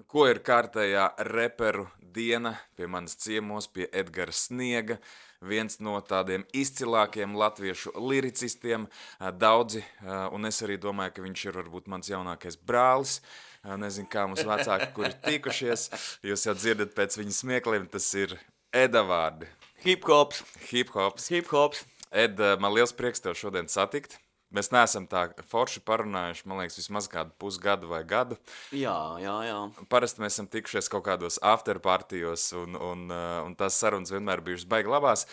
Ko ir kārtējā reperu diena pie manas ciemos, pie Edgara Sniega, viens no tādiem izcilākiem latviešu liricistiem, daudzi, un es arī domāju, ka viņš ir varbūt mans jaunākais brālis, nezinu, kā mums vecāki, kuri tikušies, jūs jau dzirdat pēc viņa smiekliem, tas ir Eda vārdi. Hip-hops. Hip-hops. Hip-hops. Ed, man liels prieks tev šodien satikt. Mēs neesam tā forši parunājuši, man liekas, vismaz kādu pusgadu vai gadu. Jā. Parasti mēs esam tikušies kaut kādos afterpartijos, un tās sarunas vienmēr bijušas baigi labās.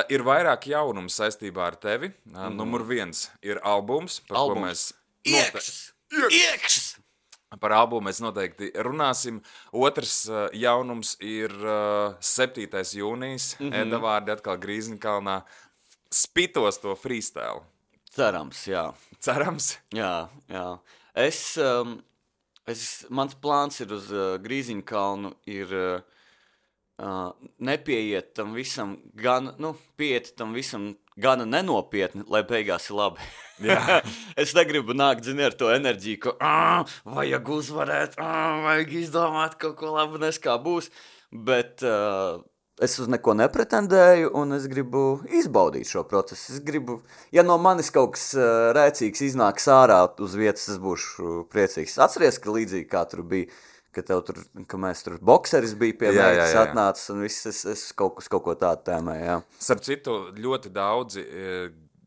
Ir vairāk jaunumu saistībā ar tevi. Numur 1 ir albums, par ko mēs... Iekšs! Par albumu mēs noteikti runāsim. Otrs jaunums ir 7. jūnijas. Eda vārdi atkal Grīziņkalnā. Spitos to freestyle. Cerams, jā. Cerams? Jā. Mans plāns ir uz Grīziņkalnu ir nepieiet tam visam pieiet tam visam gana nenopietni, lai beigās ir labi. Jā. Es negribu nākt, zini, ar to enerģiju, ka vajag uzvarēt, vajag izdomāt kaut ko labu, kā būs, bet es uz neko nepretendēju, un es gribu izbaudīt šo procesu. Es gribu, ja no manis kaut kas rēcīgs iznāks ārā uz vietas, es būšu priecīgs. Atceries, ka līdzīgi kā tur bija, ka mēs tur bokseris bija pie meitas atnācis, un viss es kaut ko tādu tēmēju, jā. Starp citu, ļoti daudzi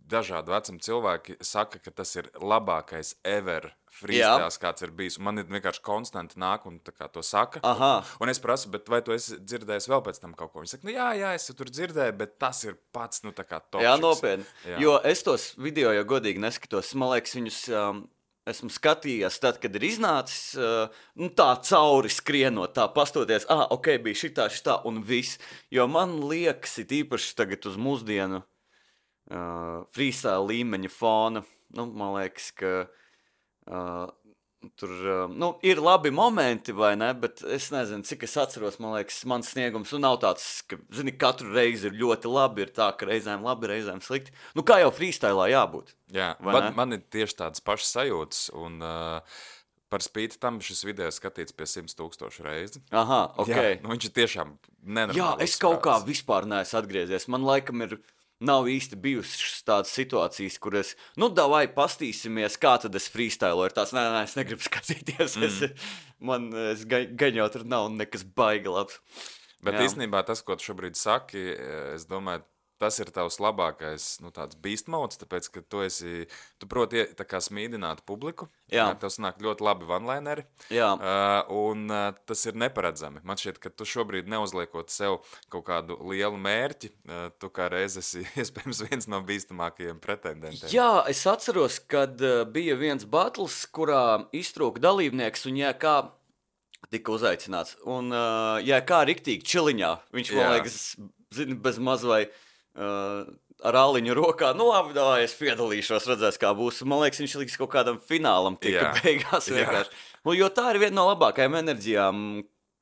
dažādu vecumu cilvēki saka, ka tas ir labākais ever freestyles, kāds ir bijis. Man ir vienkārši konstanti nāk un tā kā to saka. Aha. Un es prasu, bet vai tu esi dzirdējis vēl pēc tam kaut ko? Viņi saka, jā, es tur dzirdēju, bet tas ir pats, tā kā topšiks. Jā, nopietni. Jā. Jo es tos video jau godīgi neskatos. Man liekas, viņus esmu skatījies tad, kad ir iznācis tā cauri skrienot, tā pastoties, ok, bija šitā un viss. Jo man liekas, it īpaši tagad uz mūsdienu freestyle līmeņa fona, man liekas, ka tur ir labi momenti, vai ne, bet es nezinu, cik es atceros, man liekas, mans sniegums nav tāds, ka, zini, katru reizi ir ļoti labi, ir tā, ka reizēm labi, reizēm slikti. Kā jau freestylā jābūt. Jā, man ir tieši tādas pašas sajūtas, un par spīti tam šis video skatīts pie 100,000 reizi. Aha, ok. Jā, viņš ir tiešām nenormāls. Jā, es kaut kā vispār neesmu atgriezies. Man laikam nav īsti bijušas tādas situācijas, kur es, davai pastīsimies, kā tad es freestyloju. Ir tāds, nē, es negribu skatīties. Es gan jau tur nav nekas baigi labs. Bet īstenībā tas, ko tu šobrīd saki, es domāju, tas ir tavs labākais, tāds beast modes, tāpēc, ka tu proti tā kā smīdināt publiku. Jā. Tev sanāk ļoti labi one-lineri. Jā. Un tas ir neparedzami. Man šķiet, ka tu šobrīd neuzliekot sev kaut kādu lielu mērķi, tu kā reiz esi iespējams viens no bīstamākajiem pretendentiem. Jā, es atceros, kad bija viens battles, kurā iztrūka dalībnieks, un kā tika uzaicināts. Un kā riktīgi čiliņā, viņš, man liekas, zini, bez maz vai ar āliņu rokā, labi, davai, es piedalīšos, redzēs, kā būs. Man liekas, viņš liks kaut kādam finālam tika beigās vienkārši. Jo tā ir viena no labākajām enerģijām,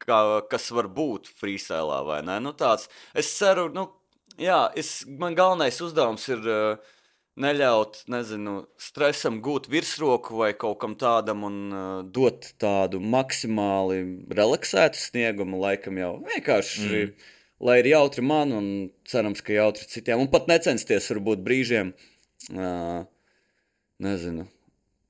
kas var būt freestylā, vai ne? Tāds, es ceru, man galvenais uzdevums ir neļaut, stresam gūt virsroku vai kaut kam tādam un dot tādu maksimāli relaksētu sniegumu, laikam jau vienkārši... Lai ir jautri man un cerams, ka jautri citiem. Un pat necensties varbūt brīžiem,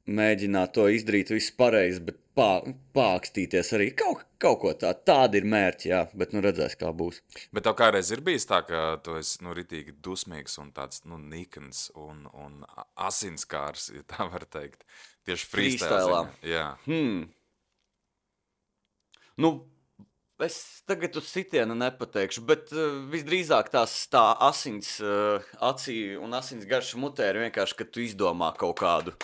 mēģināt to izdarīt visu pareizi, bet pākstīties arī kaut ko tādu ir mērķi, jā, bet redzēs, kā būs. Bet tev kādreiz ir bijis tā, ka tu esi ritīgi dusmīgs un tāds nikns un asinskārs, ja tā var teikt, tieši freestylā. Jā. Es tagad uz sitienu nepateikšu, bet visdrīzāk tā asins acī un asins garša mutē ir vienkārši, ka tu izdomā kaut kādu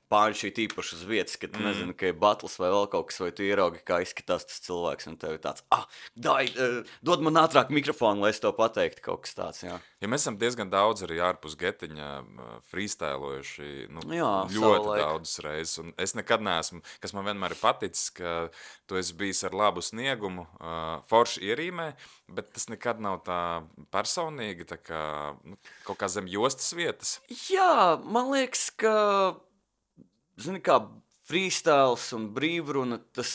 pāņu īpaši uz vietas, ka tu nezini, ka ir battles vai vēl kaut kas, vai tu ieraugi, kā izskatās tas cilvēks, un tev ir tāds, dod man ātrāk mikrofonu, lai es to pateiktu, kaut kas tāds, jā. Ja mēs esam diezgan daudz arī ārpus getiņa freestylojuši, jā, ļoti daudzas reizes, un es nekad neesmu, kas man vienmēr ir paticis, ka tu esi bijis ar labu sniegumu, forši ierīmē, bet tas nekad nav tā personīgi, tā kā, kaut kā zem jostas vietas. Jā, man liekas, ka, zini kā, freestyles un brīvruna, tas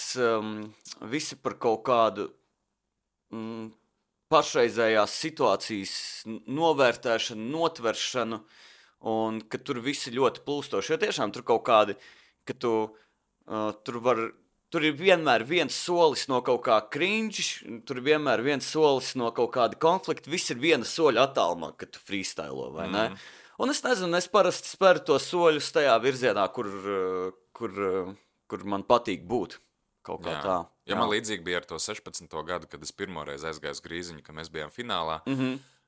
visi par kaut kādu pašreizējās situācijas novērtēšanu, notveršanu, un ka tur visi ļoti plūstoši. Jo tiešām tur kaut kādi, ka tur ir vienmēr viens solis no kaut kā cringe, tur ir vienmēr viens solis no kaut kāda konflikta, viss ir viena soļa attālumā, kad tu freestylo, vai ne? Un es nezinu, es parasti speru tos soļus tajā virzienā, kur man patīk būt. Kaut kā tā. Ja man līdzīgi bija ar to 16. gadu, kad es pirmoreiz aizgāju uz Grīziņu, ka mēs bijām finālā.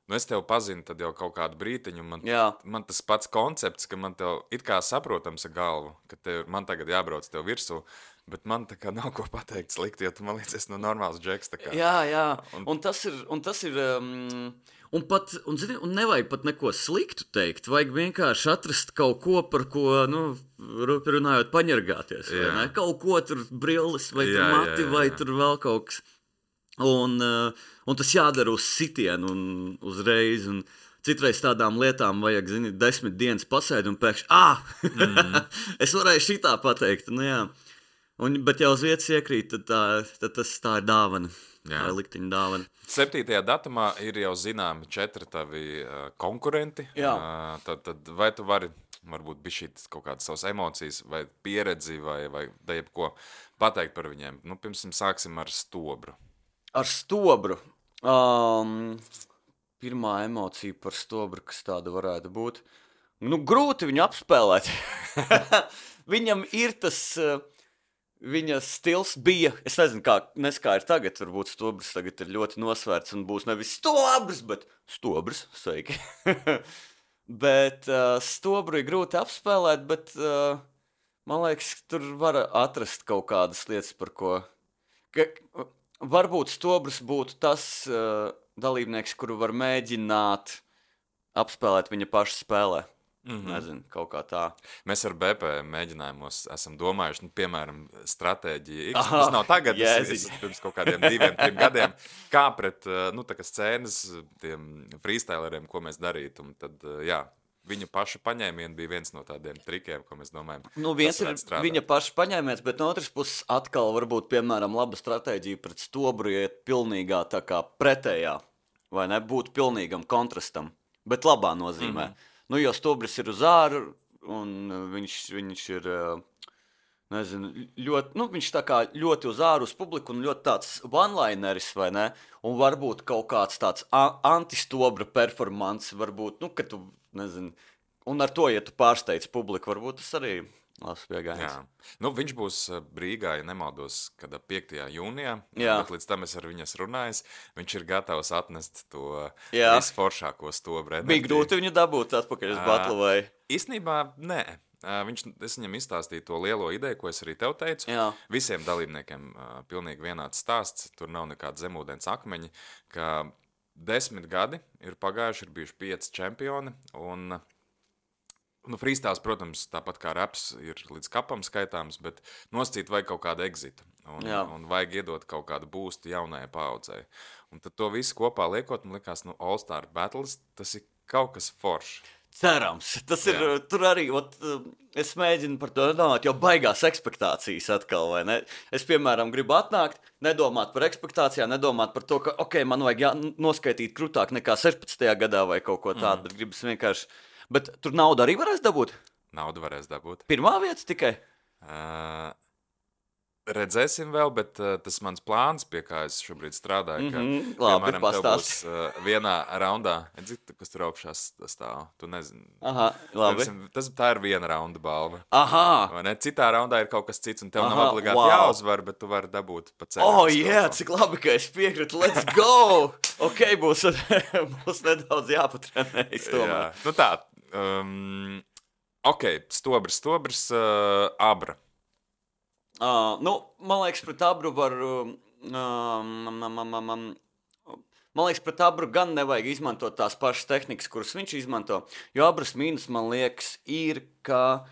Nu, es tevi pazinu tad jau kaut kādu brītiņu, man tas pats koncepts, ka man tev it kā saprotams ar galvu, ka man tagad jābrauc tev virsū, bet man tā kā nav ko pateikt slikti, jo tu man liekas, nu normāls džeks tā kā. Jā, un tas ir, un nevajag pat neko sliktu teikt, vajag vienkārši atrast kaut ko, par ko, runājot, paņargāties, vai ne? Kaut ko tur brilles, vai tur mati, vai tur vēl kaut kas. Un tas jādara uz sitienu un uzreiz, un citreiz tādām lietām vajag, 10 dienas pasēdi un pēkšņi, es varēju šitā pateikt, bet jau uz vietas iekrīt, tad tā ir dāvana, tā ir likteņa dāvana. 7. datumā ir jau zināmi 4 tavi konkurenti, tad vai tu vari, varbūt bišķīt kaut kādas savas emocijas vai pieredzi vai jebko pateikt par viņiem? Nu, pirms sāksim ar Stobru. Ar Stobru. Pirmā emocija par Stobru, kas tāda varētu būt. Grūti viņu apspēlēt. Viņam ir tas, viņa stils bija, es nezinu, kā ir tagad, varbūt Stobrs tagad ir ļoti nosvērts un būs nevis Stobrs, bet Stobrs, sveiki. Bet Stobru ir grūti apspēlēt, bet man liekas, tur var atrast kaut kādas lietas, par ko... Varbūt Stobrs būtu tas dalībnieks, kuru var mēģināt apspēlēt viņa paša spēlē. Nezinu, kaut kā tā. Mēs ar BP mēģinājumos esam domājuši, piemēram, stratēģiju X. Tas nav tagad, es pirms kaut kādiem 2-3 gadiem, kā pret tā kā scēnas tiem freestyleriem, ko mēs darītu. Un tad, viņu paša paņēmieni bija viens no tādiem trikiem, ko mēs domājam. Viens ir viņa paša paņēmiens, bet no otras puses atkal varbūt, piemēram, laba stratēģija pret Stobru iet pilnīgā tā kā pretējā, vai ne, būt pilnīgam kontrastam, bet labā nozīmē. Jo Stobris ir uz āru, un viņš ir, nezinu, ļoti, viņš tā kā ļoti uz āru uz publiku, un ļoti tāds one-lineris, vai ne, un varbūt kaut kāds tāds anti-Stobra performance, varbūt, ka tu, nezinu, un ar to, ja tu pārsteidz publiku, varbūt tas arī labs pieejams. Viņš būs Rīgā, ja nemaldos, kad 5. jūnijā, bet līdz tam es ar viņas runājis, viņš ir gatavs atnest to visforšāko Stobru. Bija grūti viņu dabūt atpakaļ uz batlu, vai? Īstenībā, nē. Es viņam izstāstīju to lielo ideju, ko es arī tev teicu. Visiem dalībniekiem pilnīgi vienāds stāsts, tur nav nekāda zemūdens akmeņi, ka 10 gadi ir pagājuši, ir bijuši 5 čempioni, un freestyles, protams, tāpat kā raps ir līdz kapam skaitāms, bet noscīt vajag kaut kādu exitu, un vajag iedot kaut kādu boostu jaunajai paaudzei. Un tad to visu kopā liekot, man likās, All Star Battles, tas ir kaut kas foršs. Cerams, tas ir, tur arī, es mēģinu par to nedomāt, jo baigās ekspektācijas atkal, vai ne? Es, piemēram, gribu atnākt, nedomāt par ekspektācijām, nedomāt par to, ka, man vajag noskaitīt krūtāk nekā 16. gadā vai kaut ko tādu, bet gribas vienkārši, bet tur naudu arī varēs dabūt? Naudu varēs dabūt. Pirmā vieta tikai? Redzēsim vēl, bet tas mans plāns, pie kā es šobrīd strādāju, ka, labi, piemēram, tev būs vienā raundā, kas tur augšās stāv, tu nezini. Aha, labi. Tā ir viena raunda balva. Aha. Vai ne? Citā raundā ir kaut kas cits, un tev nav obligāti jāuzvar, bet tu vari dabūt pa ceļu. Cik labi, ka es piekrītu, let's go! Būs nedaudz jāpatrenējas tomēr. Stobrs, Abra. Man liekas, pret Abru var... Man liekas, pret Abru gan nevajag izmantot tās pašas tehnikas, kuras viņš izmanto, jo Abras mīnus, man liekas, ir, ka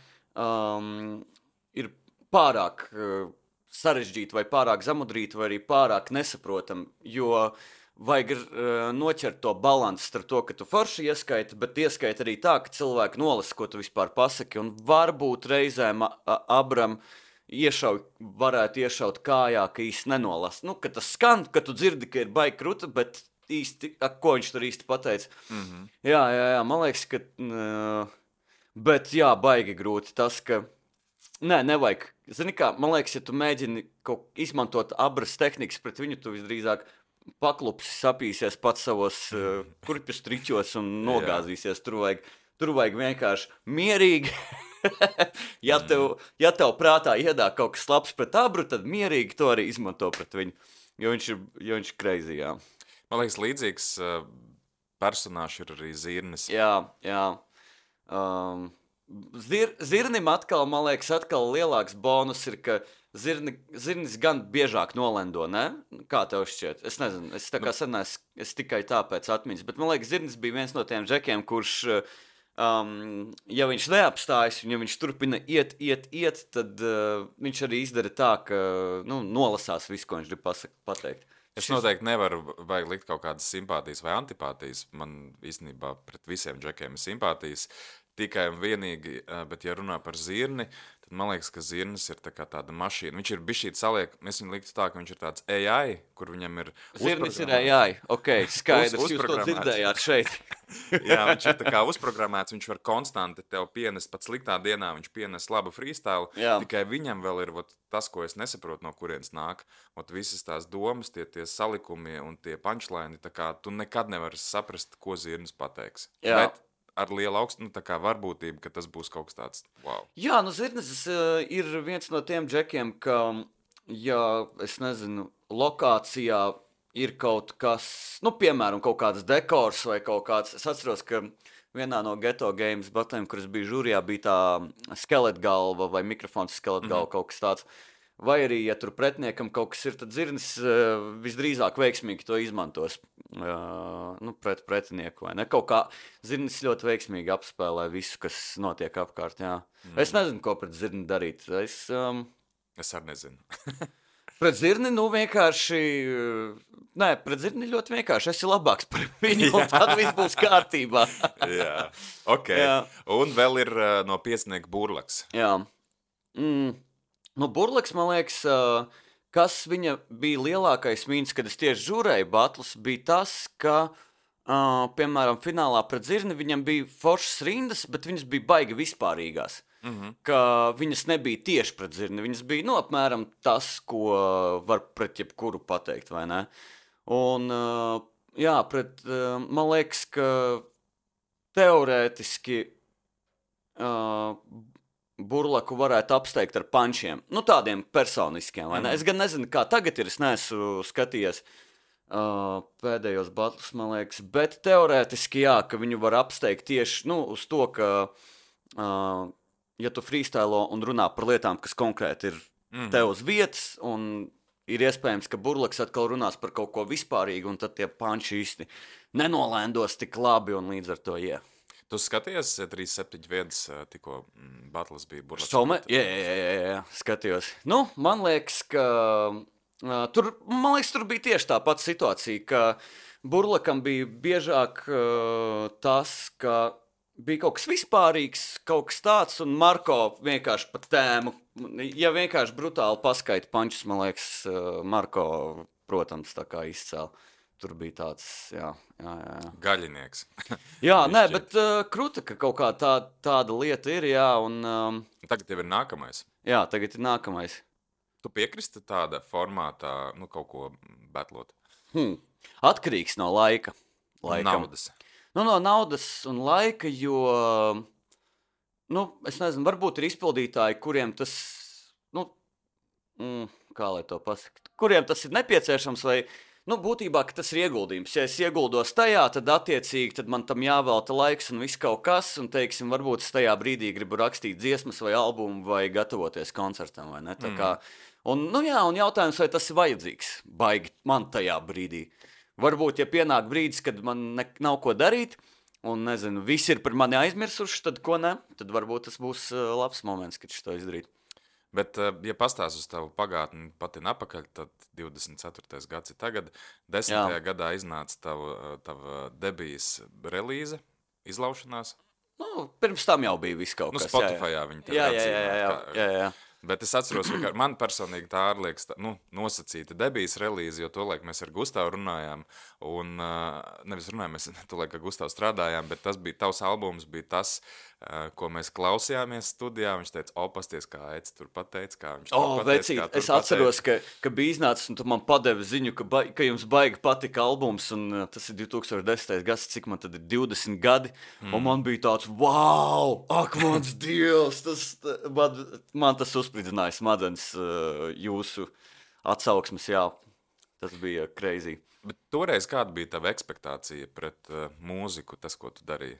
ir pārāk sarežģīti vai pārāk zamudrīti vai arī pārāk nesaprotam, jo vajag noķert to balansu starp to, ka tu forši ieskaiti, bet ieskaiti arī tā, ka cilvēki nolasa, ko tu vispār pasaki, un varbūt reizēm Abram varētu iešaut kājā, ka īsti nenolasa. Nu, ka tas skan, ka tu dzirdi, ka ir baigi kruta, bet īsti, ko viņš tur īsti pateica. Jā, man liekas, ka... Bet jā, baigi grūti tas, ka... Nē, nevajag. Zini kā, man liekas, ja tu mēģini izmantot abras tehnikas pret viņu, tu visdrīzāk paklupsi sapīsies pats savos kurpju striķos un nogāzīsies. Tur vajag vienkārši mierīgi. ja tev prātā iedāk kaut kas labs pret abru, tad mierīgi to arī izmanto pret viņu. Jo viņš ir crazy, jā. Man liekas, līdzīgs personāžs ir arī Zirnis. Jā. Zirnim atkal, man liekas, lielāks bonus ir, ka Zirnis gan biežāk nolendo, ne? Kā tev šķiet? Es nezinu, es tā kā es tikai tāpēc atmiņas, bet man liekas, Zirnis bija viens no tiem džekiem, kurš, ja viņš neapstājas, un ja viņš turpina iet, tad viņš arī izdara tā, ka nolasās visu, ko viņš grib pateikt. Es noteikti nevaru vajag likt kaut kādas simpātijas vai antipātijas. Man īstenībā pret visiem džekiem ir simpātijas. Tikai un vienīgi, bet ja runā par Zirni, tad man liekas, ka Zirnis ir tāda mašīna. Viņš ir bišķīt saliek, es viņu liktu tā, ka viņš ir tāds AI, kur viņam ir Zirnis ir AI, ok, skaidrs, jūs to dzirdējāt šeit. Jā, viņš ir tā kā uzprogrammēts, viņš var konstanti tev pienest, pat sliktā dienā viņš pienes labu freestyle, tikai viņam vēl ir tas, ko es nesaprotu, no kurienes nāk. Visas tās domas, tie salikumi un tie punchline, tā kā tu nekad nevari saprast, ko Zirnis pateiks. Jā. Bet ar lielu augstu, tā kā varbūtību, ka tas būs kaut kas tāds, wow. Jā, Zirnis ir viens no tiem džekiem, ka, ja, es nezinu, lokācijā ir kaut kas, piemēram, kaut kāds dekors vai kaut kāds, es atceros, ka vienā no Ghetto Games batlēm, kuras bija žūrijā, bija tā skeletgalva vai mikrofons skeletgalva, kaut kas tāds. Vai arī, ja tur pretiniekam kaut kas ir, tad Zirnis visdrīzāk veiksmīgi to izmantos pret pretinieku, vai ne? Kaut kā Zirnis ļoti veiksmīgi apspēlē visu, kas notiek apkārt, jā. Es nezinu, ko pret Zirni darīt. Es arī nezinu. Pret Zirni, vienkārši... Nē, pret Zirni ļoti vienkārši. Es ir labāks par viņu, un tad viss būs kārtībā. Jā, ok. Jā. Un vēl ir no piecinieku Burlaks. Jā. Burlaks, man liekas, kas viņa bija lielākais mīnus, kad es tieši žūrēju batlus, bija tas, ka, piemēram, finālā pret Zirni viņam bija foršas rindas, bet viņas bija baigi vispārīgās. Ka viņas nebija tieši pret Zirni, viņas bija, apmēram tas, ko var pret jebkuru pateikt, vai ne? Un, jā, man liekas, ka teorētiski Burlaku varētu apsteigt ar pančiem. Tādiem personiskiem, vai ne? Es gan nezinu, kā tagad ir, es neesmu skatījies pēdējos batlus, man liekas, bet teorētiski, jā, ka viņu var apsteigt tieši, uz to, ka, ja tu freestylo un runā par lietām, kas konkrēti ir tev uz vietas, un ir iespējams, ka Burlaks atkal runās par kaut ko vispārīgu, un tad tie panči īsti nenolēndos tik labi, un līdz ar to, jā. Tu skaties 371, tikko batles bija Burlaks? Jā, skatījos. Man liekas, ka tur bija tieši tā pati situācija, ka Burlakam bija biežāk tas, ka bija kaut kas vispārīgs, kaut kas tāds, un Marko vienkārši pa tēmu, ja vienkārši brutāli paskaita pančus, man liekas, Marko, protams, tā kā izcēla. Tur bija tāds, jā. Gaļinieks. Jā, nē, bet kruta, ka kaut kā tāda lieta ir, jā, un... Tagad tev ir nākamais. Jā, tagad ir nākamais. Tu piekristi tāda formātā, kaut ko batlot? Atkarīgs no laika. Naudas. No naudas un laika, jo, es nezinu, varbūt ir izpildītāji, kuriem tas, kā lai to pasaka, kuriem tas ir nepieciešams, vai... būtībā, ka tas ir ieguldījums. Ja es ieguldos tajā, tad attiecīgi tad man tam jāvelta laiks un viss kaut kas, un, teiksim, varbūt es tajā brīdī gribu rakstīt dziesmas vai albumu vai gatavoties koncertam, vai ne? Tā kā, un jautājums, vai tas ir vajadzīgs, baigi man tajā brīdī. Varbūt, ja pienāk brīdis, kad man nav ko darīt, un, nezinu, visi ir par mani aizmirsuši, tad ko ne? Tad varbūt tas būs labs moments, kad šito izdarīt. Bet, ja pastāst uz tavu pagātni patin apakaļ, tad 24. gads ir tagad. 10. gadā iznāca tava debijas relīze, izlaušanās. Pirms tam jau bija viss kaut kas. Spotifyā viņi tev atzīmē. Jā. Bet es atceros, ka man personīgi tā liekas, nosacīta debijas relīze, jo tolaik mēs ar Gustavu runājām, un nevis runājām, mēs tolaik ar Gustavu strādājām, bet tavs albums bija tas, ko mēs klausījāmies studijā, viņš teica, pasties, kā Eds tur pateica, kā viņš tur pateica. Es atceros, ka bija iznācis, un tu man padevi ziņu, ka jums baigi patika albums, un tas ir 2010. gads, cik man tad ir 20 gadi, un man bija tāds, wow, ak, mans Dievs, man tas uzspridzināja smadzenes jūsu atsauksmes, jā, tas bija crazy. Bet toreiz kāda bija tava ekspektācija pret mūziku, tas, ko tu darīji?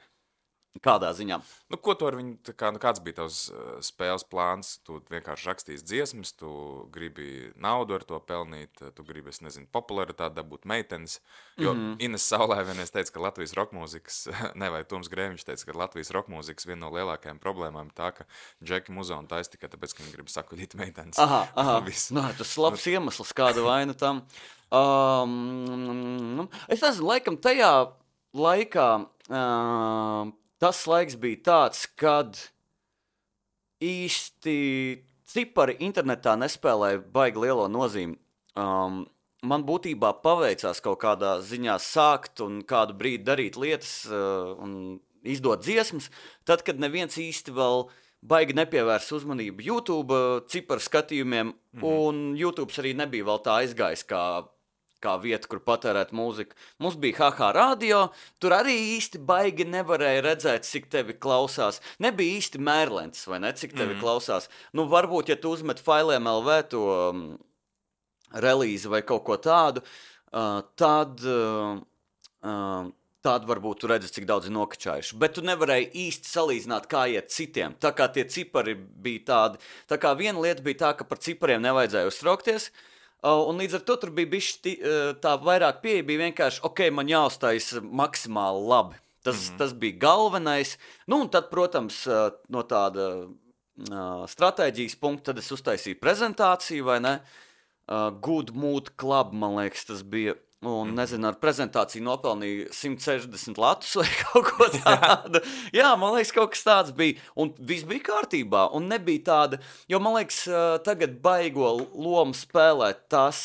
Kādā ziņā? Ko tu ar viņu, kāds bija tavs spēles plāns? Tu vienkārši rakstīsi dziesmas, tu gribi naudu ar to pelnīt, tu gribi, es nezinu, popularitāti dabūt meitenes, jo Ines Saulē vienreiz teica, ka Latvijas rokmūzikas, vai Toms Grēviņš teica, ka Latvijas rokmūzikas viena no lielākajām problēmām ir tā, ka Džeki Muzonu taisa tikai tāpēc, ka viņi grib sakuļīt meitenes. Tas labs iemesls, kāda vaina tam. Es nezinu, laikam tajā laikā tas laiks bija tāds, kad īsti cipari internetā nespēlēja baigi lielo nozīmi. Man būtībā paveicās kaut kādā ziņā sākt un kādu brīdi darīt lietas un izdot dziesmas, tad, kad neviens īsti vēl baigi nepievērs uzmanību YouTube ciparu skatījumiem, un YouTube arī nebija vēl tā aizgājis kā vieta, kur patērēt mūziku. Mums bija HH radio, tur arī īsti baigi nevarēja redzēt, cik tevi klausās. Nebija īsti mērlens, vai ne, cik tevi klausās. Varbūt, ja tu uzmet failiem LV to relīzi vai kaut ko tādu, tad varbūt tu redzi, cik daudz ir nokačājuši. Bet tu nevarēji īsti salīdzināt, kā iet citiem. Tā kā tie cipari bija tādi. Tā kā viena lieta bija tā, ka par cipariem nevajadzēja uztraukties, un līdz ar to tur bija bišķi tā vairāk pieeja, bija vienkārši, man jāuztais maksimāli labi. Tas bija galvenais. Un tad, protams, no tāda stratēģijas punkta, tad es uztaisīju prezentāciju, vai ne? Good Mood Club, man liekas, tas bija. Un, nezinu, ar prezentāciju nopelnīju 160 latus vai kaut ko tādu. Jā, man liekas, kaut kas tāds bija. Un viss bija kārtībā. Un nebija tāda, jo man liekas, tagad baigo lomu spēlēt tas,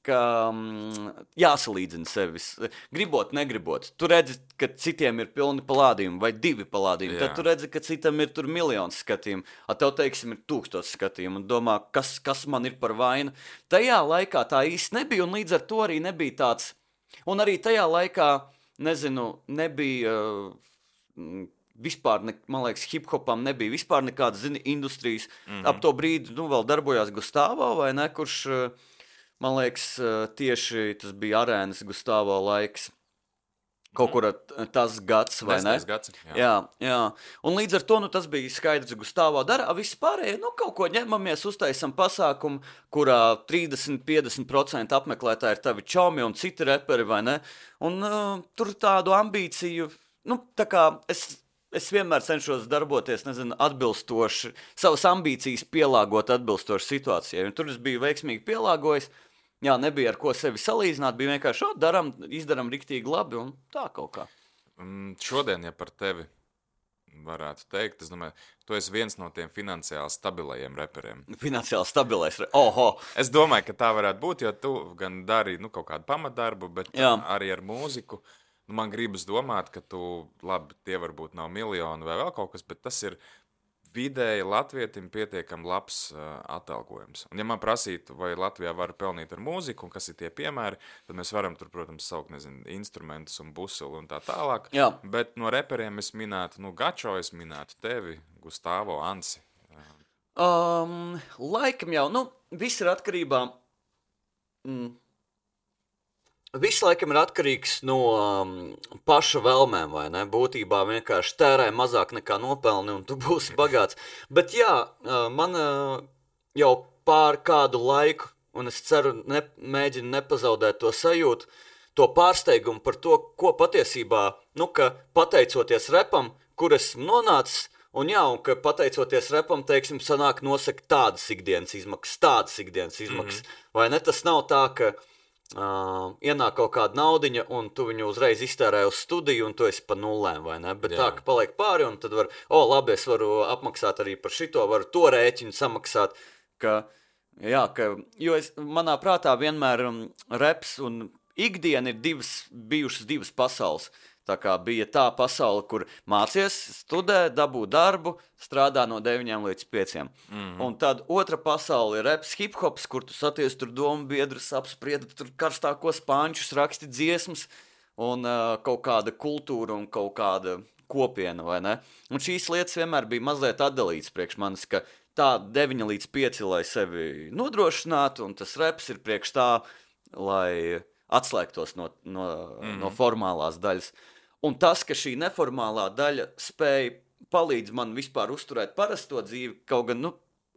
ka jāsalīdzina sevis. Gribot, negribot. Tu redzi, ka citiem ir pilni palādījumi vai 2 palādījumi. Tad tu redzi, ka citam ir tur miljons skatījumu. Tev, teiksim, ir 1000 skatījumu. Un domā, kas man ir par vainu. Tajā laikā tā īsti nebija, un līdz ar to arī nebija tāds. Un arī tajā laikā, nezinu, nebija vispār, man liekas, hip-hopam nebija vispār nekādas, industrijas. Ap to brīdi, vēl darbojās Gustavo, vai ne, kurš... Man liekas, tieši tas bija arēnas Gustavo laiks. Kaut kur tas gads, vai ne? 10. gads, jā. Un līdz ar to, tas bija skaidrs, Gustavo dara. Viss pārējie, kaut ko ņemamies, uztaisam pasākumu, kurā 30-50% apmeklētāji ir tavi čomi un citi reperi, vai ne? Un tur tādu ambīciju, tā kā es vienmēr cenšos darboties, atbilstoši, savas ambīcijas pielāgot atbilstoši situācijai. Un tur es biju veiksmīgi pielāgojis. Jā, nebija ar ko sevi salīdzināt, bija vienkārši izdaram riktīgi labi un tā kaut kā. Šodien, ja par tevi varētu teikt, es domāju, tu esi viens no tiem finansiāli stabilajiem reperiem. Finansiāli stabilais? Oho! Es domāju, ka tā varētu būt, jo tu gan dari kaut kādu pamatdarbu, bet arī ar mūziku. Man gribas domāt, ka labi, tie varbūt nav miljoni vai vēl kaut kas, bet tas ir vidēji latvietim pietiekami labs atalgojums. Un ja man prasītu, vai Latvijā var pelnīt ar mūziku, un kas ir tie piemēri, tad mēs varam tur, protams, saukt, instrumentus un busuli un tā tālāk. Jā. Bet no reperiem es minētu, Gačo, es minētu tevi, Gustavo, Ansi. Laikam jau, viss ir atkarībā... Viss laikam ir atkarīgs no paša vēlmēm, vai ne? Būtībā vienkārši tērē mazāk nekā nopelni un tu būsi bagāts. Bet jā, man jau pār kādu laiku, un es ceru, mēģinu nepazaudēt to sajūtu, to pārsteigumu par to, ko patiesībā, ka pateicoties repam, kur esmu nonācis, un ka pateicoties repam, teiksim, sanāk nosaka tādas ikdienas izmaksas, vai ne? Tas nav tā, ka ienāk kaut kāda naudiņa, un tu viņu uzreiz iztērē uz studiju, un tu esi pa nullēm, vai ne? Bet tā, ka paliek pāri, un tad labi, es varu apmaksāt arī par šito, varu to rēķinu samaksāt. jo manā prātā vienmēr reps un ikdiena ir bijušas divas pasaules. Tā kā bija tā pasaule, kur mācies, studē, dabū darbu, strādā no 9 līdz 5. Un tad otra pasaule ir reps, hip-hops, kur tu saties tur domu biedrus, apspriedi tur karstākos pančus, raksti dziesmas un kaut kāda kultūra un kaut kāda kopiena, vai ne? Un šīs lietas vienmēr bija mazliet atdalītas priekš manis, ka tā 9 līdz 5, lai sevi nodrošinātu, un tas reps ir priekš tā, lai atslēgtos no formālās daļas. Un tas, ka šī neformālā daļa spēja palīdz man vispār uzturēt parasto dzīvi, kaut gan,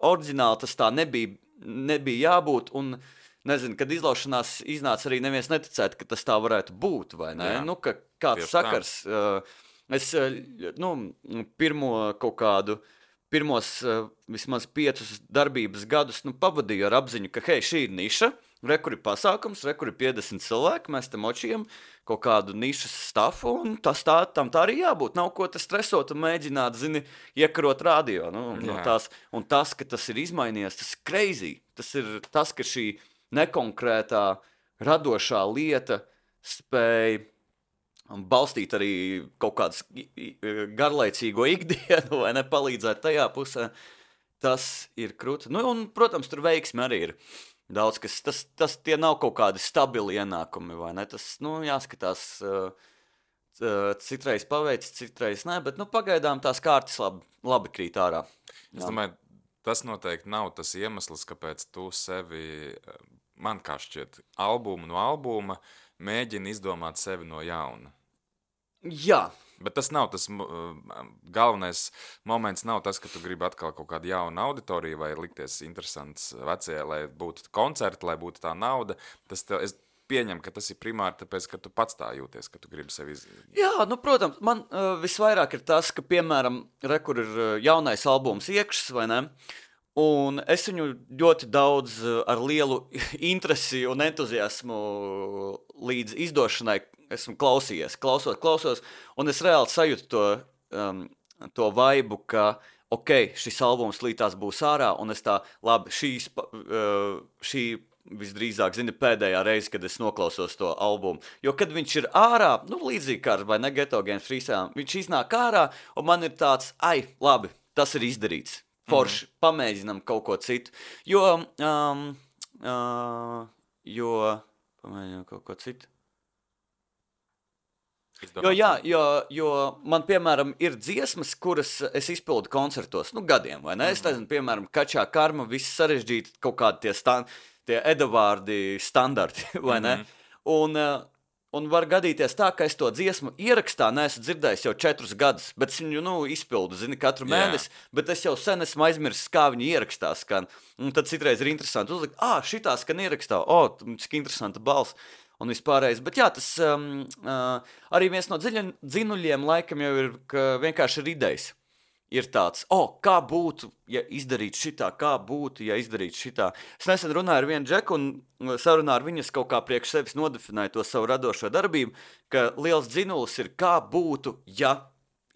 oriģināli tas tā nebija jābūt, un, nezinu, kad izlaušanās iznāca arī neviens neticētu, ka tas tā varētu būt, vai ne? Jā, ka kāds sakars, es, pirmos vismaz 5 darbības gadus, pavadīju ar apziņu, ka, hei, šī ir niša, kur ir pasākums, kur ir 50 cilvēki, mēs te močījam kaut kādu nišas stafu, un tam tā arī jābūt. Nav ko te stresot un mēģināt, iekarot radio. No tās. Un tas, ka tas ir izmainījies, tas ir crazy. Tas ir tas, ka šī nekonkrētā, radošā lieta spēja balstīt arī kaut kādas garlaicīgo ikdienu, vai nepalīdzēt tajā pusē. Tas ir krūti. Un, protams, tur veiksmi arī ir. Daudz, tas tie nav kaut kādi stabili ienākumi, vai ne? Tas, jāskatās, citreiz paveic, citreiz ne, bet, pagaidām tās kārtas labi krīt ārā. Es domāju, tas noteikti nav tas iemesls, kāpēc tu sevi, man kā šķiet, albumu no albuma mēģini izdomāt sevi no jauna. Jā. Bet tas nav tas galvenais moments, nav tas, ka tu gribi atkal kaut kādu jaunu auditoriju vai likties interesants vecajai, lai būtu koncerti, lai būtu tā nauda. Es pieņemu, ka tas ir primāri tāpēc, ka tu pats tā jūties, ka tu gribi sevi Jā, protams, man visvairāk ir tas, ka, piemēram, kur ir jaunais albums iekšas, vai ne? Un es viņu ļoti daudz ar lielu interesi un entuziasmu līdz izdošanai esmu klausījies, klausos, un es reāli sajūtu to vaibu, ka, šis albums līdz būs ārā, un es tā, labi, šī visdrīzāk, pēdējā reize, kad es noklausos to albumu. Jo, kad viņš ir ārā, līdzīgi kā vai ne Ghetto Games Freestyle, viņš iznāk ārā, un man ir tāds, labi, tas ir izdarīts. Forši, pamēģinam kaut ko citu. Jo pamēģinam kaut ko citu. Jo man, piemēram, ir dziesmas, kuras es izpildu koncertos, gadiem, vai ne? Es nezinu, piemēram, Kačā Karma, viss sarežģīti, kaut kādi tie edavārdi standarti, vai ne? Un var gadīties tā, ka es to dziesmu ierakstā neesmu dzirdējis jau 4 gadus, bet es viņu, izpildu, katru mēnesi, bet es jau sen esmu aizmirsis, kā viņi ierakstā skan. Un tad citreiz ir interesanti uzlikt, šitā skan ierakstā, cik interesanta balss. Un vispārējais, bet jā, tas arī viens no dzinuļiem laikam jau ir, ka vienkārši ir idejas. Ir tāds, kā būtu, ja izdarītu šitā, kā būtu, ja izdarītu šitā. Es nesen runāju ar vienu džeku un sarunā ar viņas kaut kā priekš sevis nodefinēju to savu radošo darbību, ka liels dzinulis ir, kā būtu, ja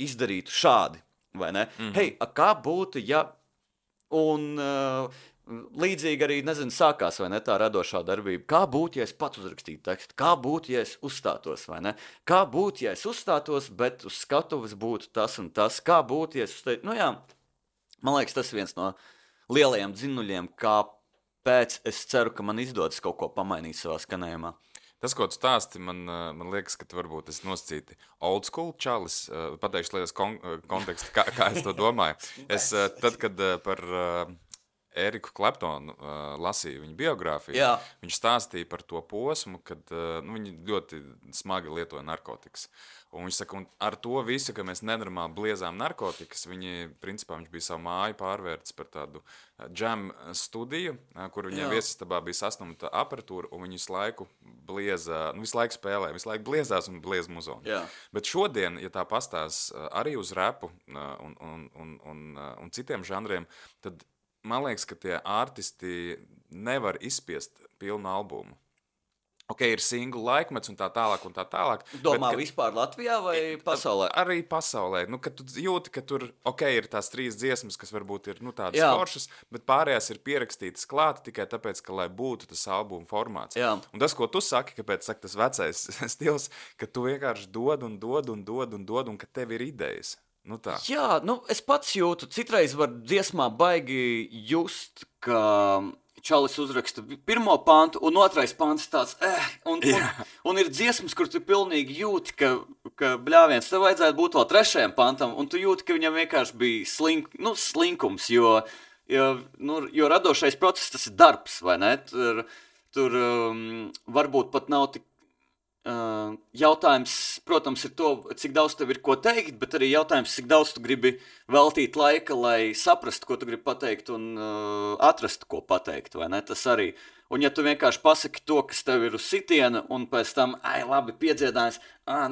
izdarītu šādi, vai ne? Hei, kā būtu, ja... Un... līdzīgi arī, sākās, vai ne, tā radošā darbība. Kā būtu, ja es pats uzrakstītu tekstu? Kā būtu, ja es uzstātos, vai ne? Kā būtu, ja es uzstātos, bet uz skatuves būtu tas un tas? Kā būtu, ja es uzstātos? Man liekas, tas ir viens no lielajiem dzinuļiem, kāpēc es ceru, ka man izdodas kaut ko pamainīt savā skanējumā. Tas, ko tu stāsti, man liekas, ka tu varbūt esi nosacīti old school čalis. Pateikšu lietas kontekstu, kā es to domāju. Tad, kad par... Eriku Kleptonu lasīja viņa biogrāfiju. Jā. Viņš stāstīja par to posmu, kad viņi ļoti smagi lietoja narkotikas. Un viņš saka, un ar to visu, ka mēs nenormāli bliezām narkotikas, viņš bija savu māju pārvērts par tādu džem studiju, kur viņiem viesistabā bija sasnumta aparatūra, un viņi visu laiku spēlē, visu laiku bliezās un bliez muzonu. Jā. Bet šodien, ja tā pastās arī uz rapu un citiem žanriem, tad man liekas, ka tie artisti nevar izspiest pilnu albumu. ir single laikmets un tā tālāk un tā tālāk. Domā vispār Latvijā vai pasaulē? Arī pasaulē. Kad tu jūti, ka tur ir tās 3 dziesmas, kas varbūt ir tādas foršas, bet pārējās ir pierakstītas klāt tikai tāpēc, ka lai būtu tas albuma formāts. Jā. Un tas, ko tu saki, kāpēc tas vecais stils, ka tu vienkārši dod un ka tev ir idejas. Tā. Jā, es pats jūtu, citreiz var dziesmā baigi just, ka Čalis uzraksta pirmo pantu, un otrais pants tāds, un ir dziesmas, kur tu pilnīgi jūti, ka bļāviens, tev vajadzētu būt vēl 3. pantam, un tu jūti, ka viņam vienkārši bija slinkums, jo radošais process, tas ir darbs, vai ne? Tur varbūt pat nav tik jautājums, protams, ir to, cik daudz tev ir ko teikt, bet arī jautājums, cik daudz tu gribi veltīt laika, lai saprastu, ko tu gribi pateikt un atrastu, ko pateikt, vai ne? Tas arī. Un ja tu vienkārši pasaki to, kas tev ir uz sitiena, un pēc tam, labi, piedziedājums,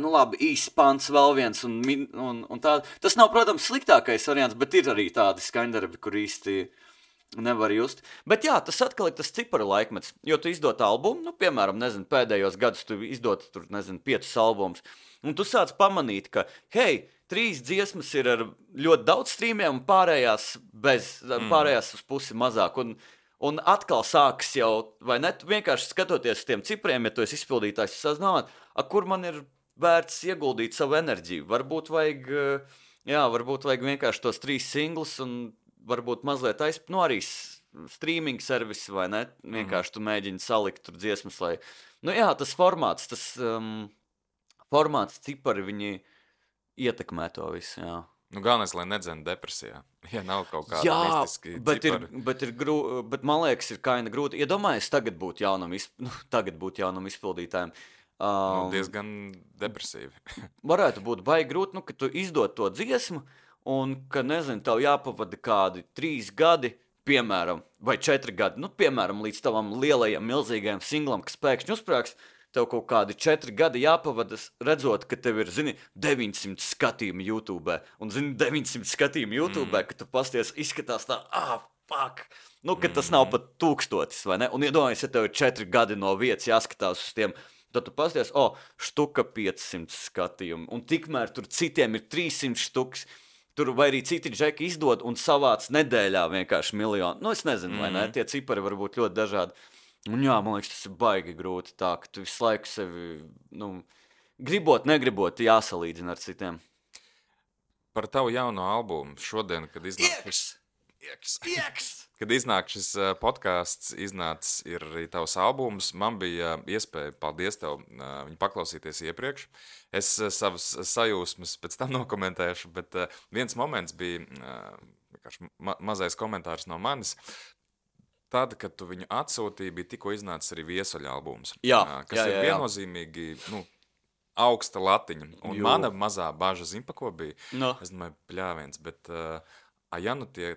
labi, īsts pants, vēl viens, un tā. Tas nav, protams, sliktākais variants, bet ir arī tādi skaņdarbi, kur īsti nevar just. Bet jā, tas atkal ir tas ciparu laikmets, jo tu izdod albumu, piemēram, pēdējos gadus tu izdod tur, 5 albumus, un tu sāc pamanīt, ka, 3 dziesmas ir ar ļoti daudz streamiem, un pārējās uz pusi mazāk, un atkal sākas jau, vai ne, tu vienkārši skatoties uz tiem cipriem, ja tu esi izpildītājs, tu sāc domāt, kur man ir vērts ieguldīt savu enerģiju, varbūt vajag vienkārši tos 3 singles, un varbūt mazliet arī streaming servisi, vai ne? Vienkārši tu mēģini salikt tur dziesmas, lai... tas formāts, cipari, viņi ietekmē to visu, jā. Galvenais, lai nedzena depresijā. Ja nav kaut kāda mistiski cipari. Bet man liekas, ir kaina grūti. Iedomājies, tagad būtu jaunam izpildītājiem. Diezgan depresīvi. Varētu būt baigi grūti, ka tu izdod to dziesmu, un, ka, tev jāpavada kādi 3 gadi, piemēram, vai 4 gadi, piemēram, līdz tavam lielajam, milzīgajam singlam, kas pēkšņi uzsprāgs, tev kaut kādi 4 gadi jāpavada, redzot, ka tev ir, 900 skatījumi YouTube, un, 900 skatījumi YouTube, ka tu pasties, izskatās tā, fuck, ka tas nav pat 1000, vai ne? Un iedomājies, ja tev ir 4 gadi no vietas jāskatās uz tiem, tad tu pasties, štuka 500 skatījumi, un tikmēr tur citiem ir 300 štuks, tur vai arī citi džeki izdod un savāc nedēļā vienkārši 1 miljonu. Es nezinu, vai ne? Tie cipari var būt ļoti dažādi. Un jā, man liekas, tas ir baigi grūti tā, ka tu visu laiku sevi, gribot, negribot, jāsalīdzina ar citiem. Par tavu jauno albumu šodien, kad iznāk šis podcasts, iznācis ir arī tavs albums, man bija iespēja, paldies tev, viņu paklausīties iepriekš. Es savas sajūsmas pēc tam nokomentēšu, bet viens moments bija mazais komentārs no manis. Tad, kad tu viņu atsūtīji, bija tikko iznācis arī Viesuļa albums, kas ir viennozīmīgi, augsta latiņa. Un mana mazā baža, pa ko bija? Es domāju, pļāviens, bet tie,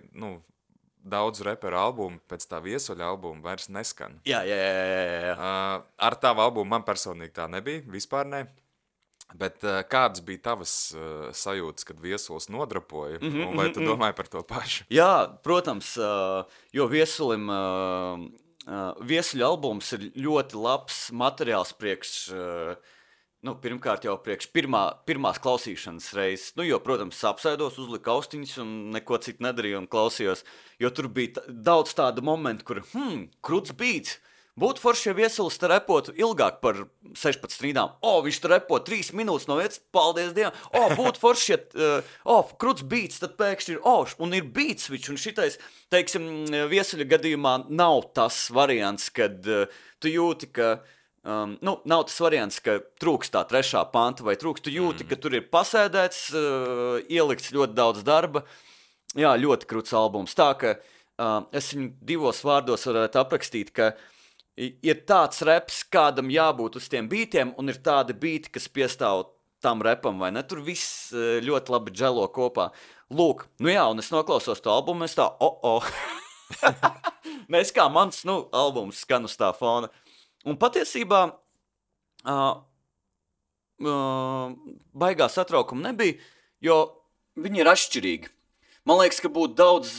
daudzu reperu albumu pēc tā Viesuļa albuma vairs neskan. Jā. Ar tavu albumu man personīgi tā nebija, vispār ne. Bet kādas bija tavas sajūtas, kad Viesulis nodrapoja? Vai tu domāji par to pašu? Jā, protams, jo Viesuļa albums ir ļoti labs materiāls priekš... pirmkārt jau priekš pirmās klausīšanas reizes, jo, protams, apsēdos, uzliku austiņas un neko citu nedarīju un klausījos, jo tur bija daudz tādu momentu, kur, kruts beats, būtu forši, ja Viesulis te repotu ilgāk par 16 rīdām, viņš te repo 3 minūtes no vietas, paldies Dievam, būtu forši, ja, kruts beats, tad pēkšņi ir, un ir beats switch, un šitais, teiksim, Viesuļa gadījumā nav tas variants, kad tu jūti, ka nav tas variants, ka trūks tā 3. panta vai trūks. Tu jūti, ka tur ir pasēdēts, ielikts ļoti daudz darba. Jā, ļoti kruts albums. Tā, ka es viņu 2 vārdos varētu aprakstīt, ka ir tāds reps, kādam jābūt uz tiem bītiem, un ir tādi bīti, kas piestāv tam repam, vai ne? Tur viss ļoti labi dželo kopā. Lūk, un es noklausos to albumu, es tā, Nes kā mans, albums skan uz tā fona. Un patiesībā baigā satraukuma nebija, jo viņi ir atšķirīgi. Man liekas, ka būtu daudz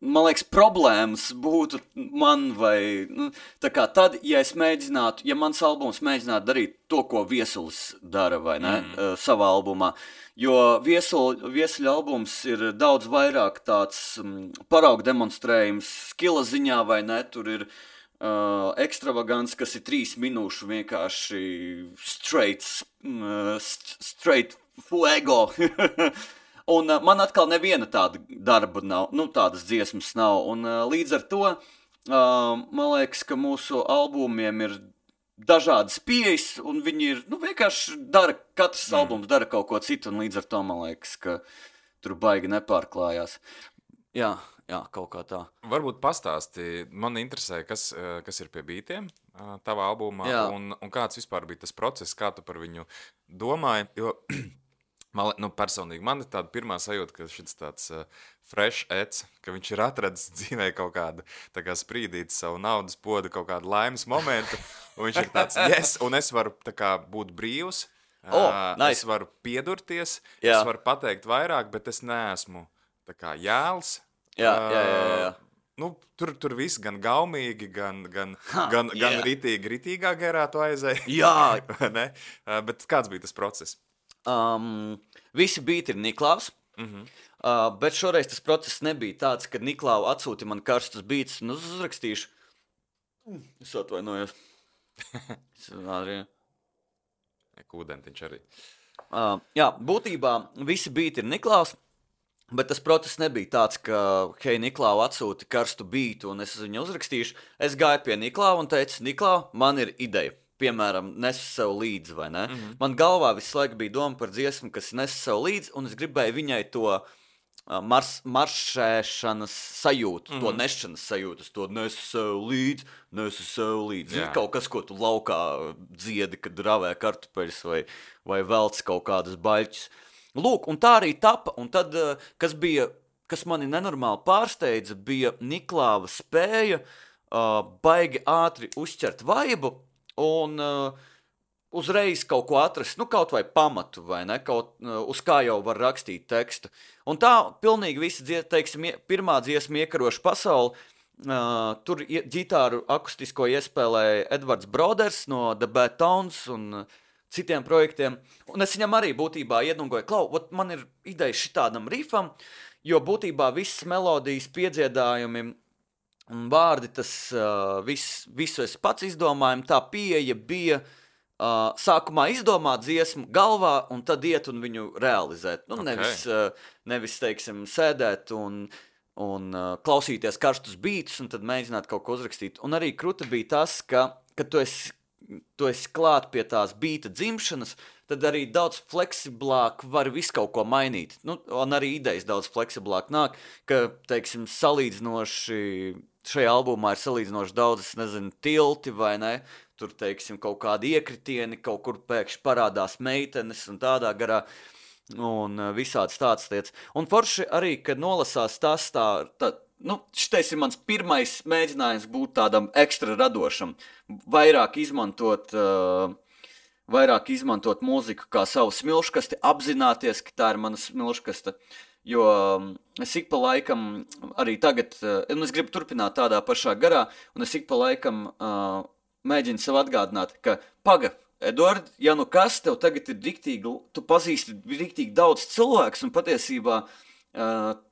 man liekas, problēmas būtu man vai, tā kā tad, ja es mēģinātu, ja mans albums mēģinātu darīt to, ko Viesulis dara, vai ne, savā albumā, jo Viesuļa albums ir daudz vairāk tāds parauga demonstrējums skila ziņā, vai ne, tur ir ekstravagants, kas ir 3 minūšu vienkārši straight fuego. Un man atkal neviena tāda darba nav, tādas dziesmas nav. Un līdz ar to, man liekas, ka mūsu albumiem ir dažādas pieejas, un viņi ir, vienkārši katrs albums dara kaut ko citu, un līdz ar to, man liekas, ka tur baigi nepārklājās. Jā, kaut kā tā. Varbūt pastāsti, man interesē, kas ir pie bītiem tavā albumā, un kāds vispār bija tas process, kā tu par viņu domāji, jo... personīgi man ir tāda pirmā sajūta, ka šis tāds fresh eds, ka viņš ir atradis dzīvē kaut kādu tā kā sprīdīt savu naudas podu, kaut kādu laimes momentu, un viņš ir tāds, yes, un es varu tā kā būt brīvs, nice. Es varu piedurties, es varu pateikt vairāk, bet es neesmu tā kā jēls. Jā. Tur viss gan gaumīgi, gan ritīgā gerā tu aizēji. Jā. Ne? Bet kāds bija tas process? Visi bīti ir Niklaus, bet šoreiz tas process nebija tāds, kad Niklau atsūti man karstus bītus un uzrakstīšu. Es atvainojos. Kūdentiņš arī. Jā, būtībā visi bīti ir Niklaus, bet tas process nebija tāds, ka, hei, Niklau atsūti karstu bītu un es viņu uzrakstīšu. Es gāju pie Niklau un teicu, Niklau, man ir ideja. Piemēram, nesu sev līdzi, vai ne? Man galvā visu laiku bija doma par dziesmu, kas nesu sev līdzi, un es gribēju viņai to maršēšanas sajūtu, to nešanas sajūtu, to nesu sev līdzi. Zini, kaut kas, ko tu laukā dziedi, kad ravē kartupeļus vai velc kaut kādas baļķus. Lūk, un tā arī tapa, un tad, kas mani nenormāli pārsteidza, bija Niklāva spēja baigi ātri uzķert vaibu, un uzreiz kaut ko atrast, kaut vai pamatu, vai ne, uz kā jau var rakstīt tekstu. Un tā pilnīgi visa, pirmā dziesma Iekaroša pasauli, tur ģitāru akustisko iespēlēja Edvards Broders no The Bad Tones un citiem projektiem. Un es viņam arī būtībā iedungoju, Klau, man ir ideja šitādam rifam, jo būtībā visas melodijas piedziedājumi un vārdi, tas visu es pats izdomāju, tā pieeja bija sākumā izdomāt dziesmu galvā un tad iet un viņu realizēt. Nevis, teiksim, sēdēt un klausīties karstus bītus un tad mēģināt kaut ko uzrakstīt. Un arī kruta bija tas, ka tu esi klāt pie tās bīta dzimšanas, tad arī daudz fleksiblāk var visu kaut ko mainīt. Un arī idejas daudz fleksiblāk nāk, ka, teiksim, salīdzinoši šajā albumā ir salīdzinoši daudz, es nezinu, tilti vai ne, tur, teiksim, kaut kādi iekritieni, kaut kur pēkšņi parādās meitenes un tādā garā, un visāds tāds lietas. Un forši arī, kad nolasās tas šitais ir mans pirmais mēģinājums būt tādam ekstra radošam, vairāk izmantot mūziku kā savu smilškasti, apzināties, ka tā ir mana smilškasta. Jo es ik pa laikam arī tagad, un es gribu turpināt tādā pašā garā, un es ik pa laikam mēģinu sev atgādināt, ka Eduard, ja kas tev tagad ir riktīgi, tu pazīsti riktīgi daudz cilvēkus, un patiesībā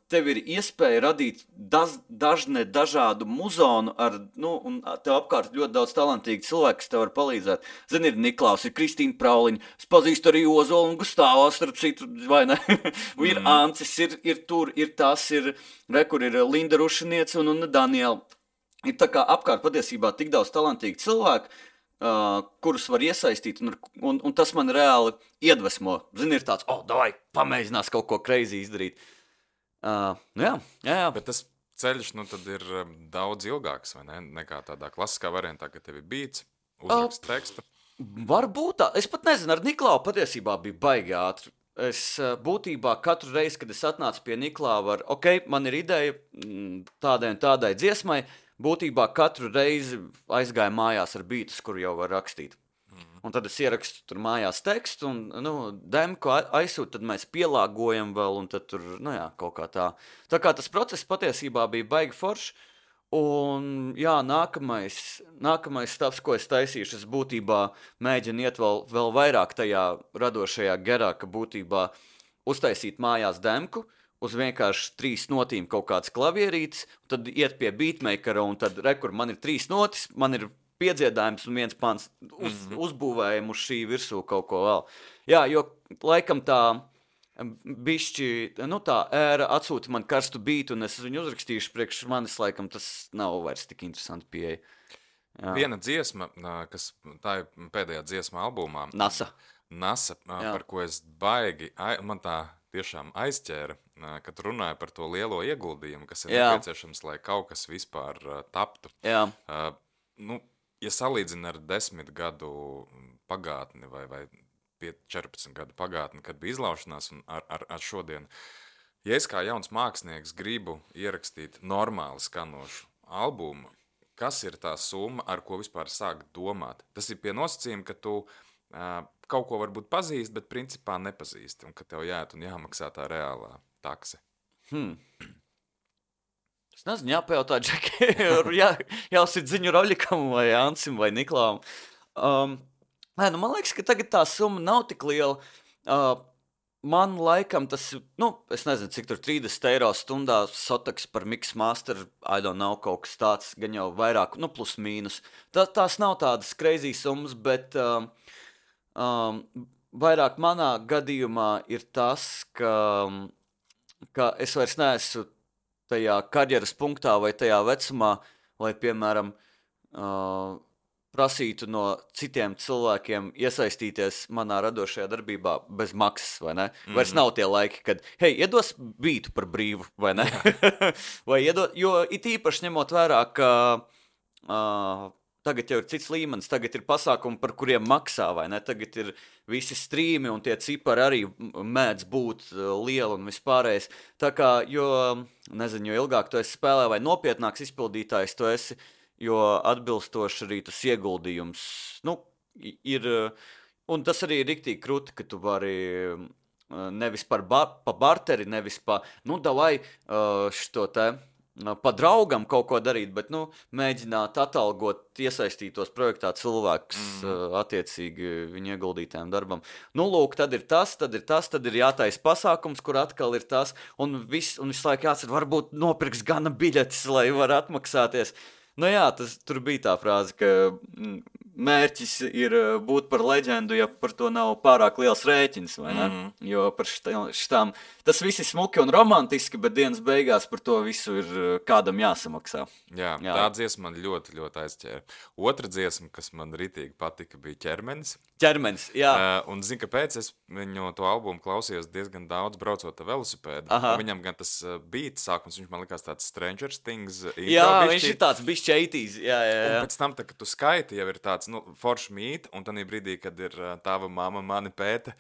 tev ir iespēja radīt dažādu muzonu un tev apkārt ļoti daudz talantīgi cilvēki, kas tev var palīdzēt. Zini, ir Niklaus, ir Kristīna Prauliņa, es pazīstu arī Ozolu un Gustāvu, starp citu, vai ne? Ir Ancis, ir tur, ir tas, kur ir Linda Rušiniece un Daniela. Ir tā kā apkārt patiesībā tik daudz talantīgi cilvēki, kurus var iesaistīt, un tas man reāli iedvesmo. Zini, ir tāds, davai, pamēģinās kaut ko crazy izdarīt. Jā. Bet tas ceļš, tad ir daudz ilgāks, vai ne? Nekā tādā klasiskā variantā, ka tev ir bīts, uzrakst tekstu. Varbūt tā. Es pat nezinu, ar Niklau patiesībā bija baigi ātri. Es būtībā katru reizi, kad es atnācu pie Niklāva man ir ideja tādai un tādai dziesmai, būtībā katru reizi aizgāju mājās ar bītus, kuru jau var rakstīt. un tad es ierakstu tur mājās tekstu, un demku aizsūtu, tad mēs pielāgojam vēl, un tad tur, kaut kā tā. Tā kā tas process patiesībā bija baigi foršs, un jā, nākamais stāvs, ko es taisīšu, es būtībā mēģinu iet vēl vairāk tajā radošajā gerā, ka būtībā uztaisīt mājās demku, uz vienkārši 3 notīm kaut kāds klavierītis, tad iet pie beatmakera, un tad rekur, man ir 3 notis, man ir piedziedājums un 1 pants, uzbūvējam uz šī virsū kaut ko vēl. Jā, jo laikam tā bišķi, tā ēra atsūta man karstu bītu, un es viņu uzrakstīšu priekš manis, laikam tas nav vairs tik interesanti pieeja. Jā. Viena dziesma, kas tā ir pēdējā dziesma albumā. NASA, par ko es baigi, man tā tiešām aizķēra, kad runāja par to lielo ieguldījumu, kas ir nepieciešams, lai kaut kas vispār taptu. Jā. Ja salīdzina ar 10 gadu pagātni vai 14 gadu pagātni, kad bija izlaušanās un ar šodienu. Ja es kā jauns mākslinieks gribu ierakstīt normāli skanošu albumu, kas ir tā summa, ar ko vispār sākt domāt? Tas ir pie nosacījuma, ka tu kaut ko varbūt pazīst, bet principā nepazīsti, un ka tev jāiet un jāmaksā tā reālā takse. Es nezinu, jāpajautā Džeki, jāsit ziņu Roļikam vai Ansim vai Niklām. Man liekas, ka tagad tā summa nav tik liela. Man laikam tas, es nezinu, cik tur 30 eiro stundā sotaks par mix master, I don't know, kaut kas tāds, gan jau vairāk, plus mīnus. Tās nav tādas crazy summas, bet vairāk manā gadījumā ir tas, ka es vairs neesmu tajā karjeras punktā vai tajā vecumā, lai, piemēram, prasītu no citiem cilvēkiem iesaistīties manā radošajā darbībā bez maksas, vai ne? Vairs nav tie laiki, kad, hei, iedos bītu par brīvu, vai ne? Vai jo it īpaši ņemot vērā, ka tagad jau ir cits līmenis, tagad ir pasākumi, par kuriem maksā, vai ne? Tagad ir visi strīmi un tie cipari arī mēdz būt lieli un vispārējais. Tā kā, jo ilgāk tu esi spēlē vai nopietnāks izpildītājs tu esi, jo atbilstoši arī tas ieguldījums, ir, un tas arī ir riktīgi krūti, ka tu vari nevis pa barteri, nevis davai šito te, pa draugam kaut ko darīt, bet, mēģināt atalgot iesaistītos projektā cilvēkus attiecīgi viņu ieguldītājiem darbam. Lūk, tad ir tas, tad ir jātais pasākums, kur atkal ir tas, un visu laiku jācer, varbūt nopirks gana biļetes, lai var atmaksāties. Tur bija tā frāze, ka mērķis ir būt par leģendu, ja par to nav pārāk liels rēķins, vai ne? Jo par šitām, tas viss ir smuki un romantiski, bet dienas beigās par to visu ir kādam jāsamaksā. Jā. Tā dziesma man ļoti, ļoti aizķēra. Otra dziesma, kas man ritīgi patika, bija Ķermenis. Jā. Un zinu, kāpēc es viņu to albumu klausījos diezgan daudz braucot ar velosipēdu. Viņam gan tas beats sākums, viņš man likās tāds Stranger Things. Jā, viņš ir tāds bišķi 80s. Jā. Un pēc tam, kad tu skaiti, jau ir tāds forši mīti, un tanī brīdī, kad ir tava mamma mani pēta,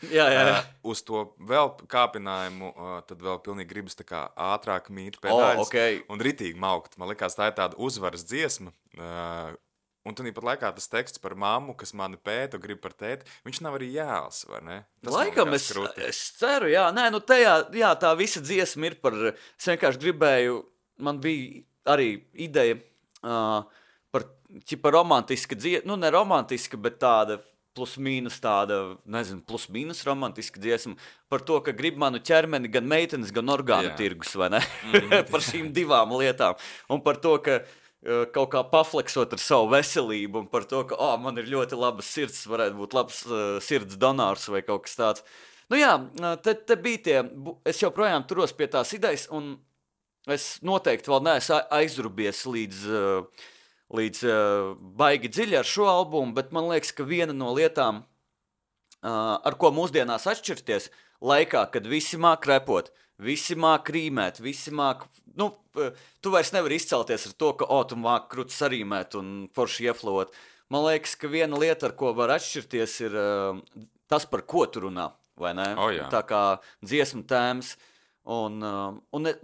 uz to vēl kāpinājumu, tad vēl pilnīgi gribas tā kā ātrāk mīti pedāļus un ritīgi maukt. Man likās, tā ir tāda uzvaras dziesma. Un tanī pat laikā tas teksts par mammu, kas mani pēta un grib par tēti, viņš nav arī jēls, vai ne? Laikam es ceru, tajā, tā visa dziesma ir par, es vienkārši gribēju, man bija arī ideja par romantiska dziesma, ne romantiska, bet tāda plus-mínus romantiska dziesma par to, ka grib manu ķermeni gan meitenes, gan orgānu tirgus, vai ne? Par šīm divām lietām. Un par to, ka kaut kā pafleksot ar savu veselību un par to, ka man ir ļoti labas sirds, varētu būt labs sirds donors vai kaut kas tāds. Te bija tie, es joprojām turos pie tās idejas, un es noteikti vēl neesmu aizrubies līdz baigi dziļi ar šo albumu, bet man liekas, ka viena no lietām, ar ko mūsdienās atšķirties, laikā, kad visi māk repot, visi māk rīmēt, visi māk, tu vairs nevari izcelties ar to, ka, tu māk kruts sarīmēt un forši ieflot. Man liekas, ka viena lieta, ar ko var atšķirties, ir tas, par ko tu runā, vai ne? Jā. Tā kā dziesmu tēmas. Un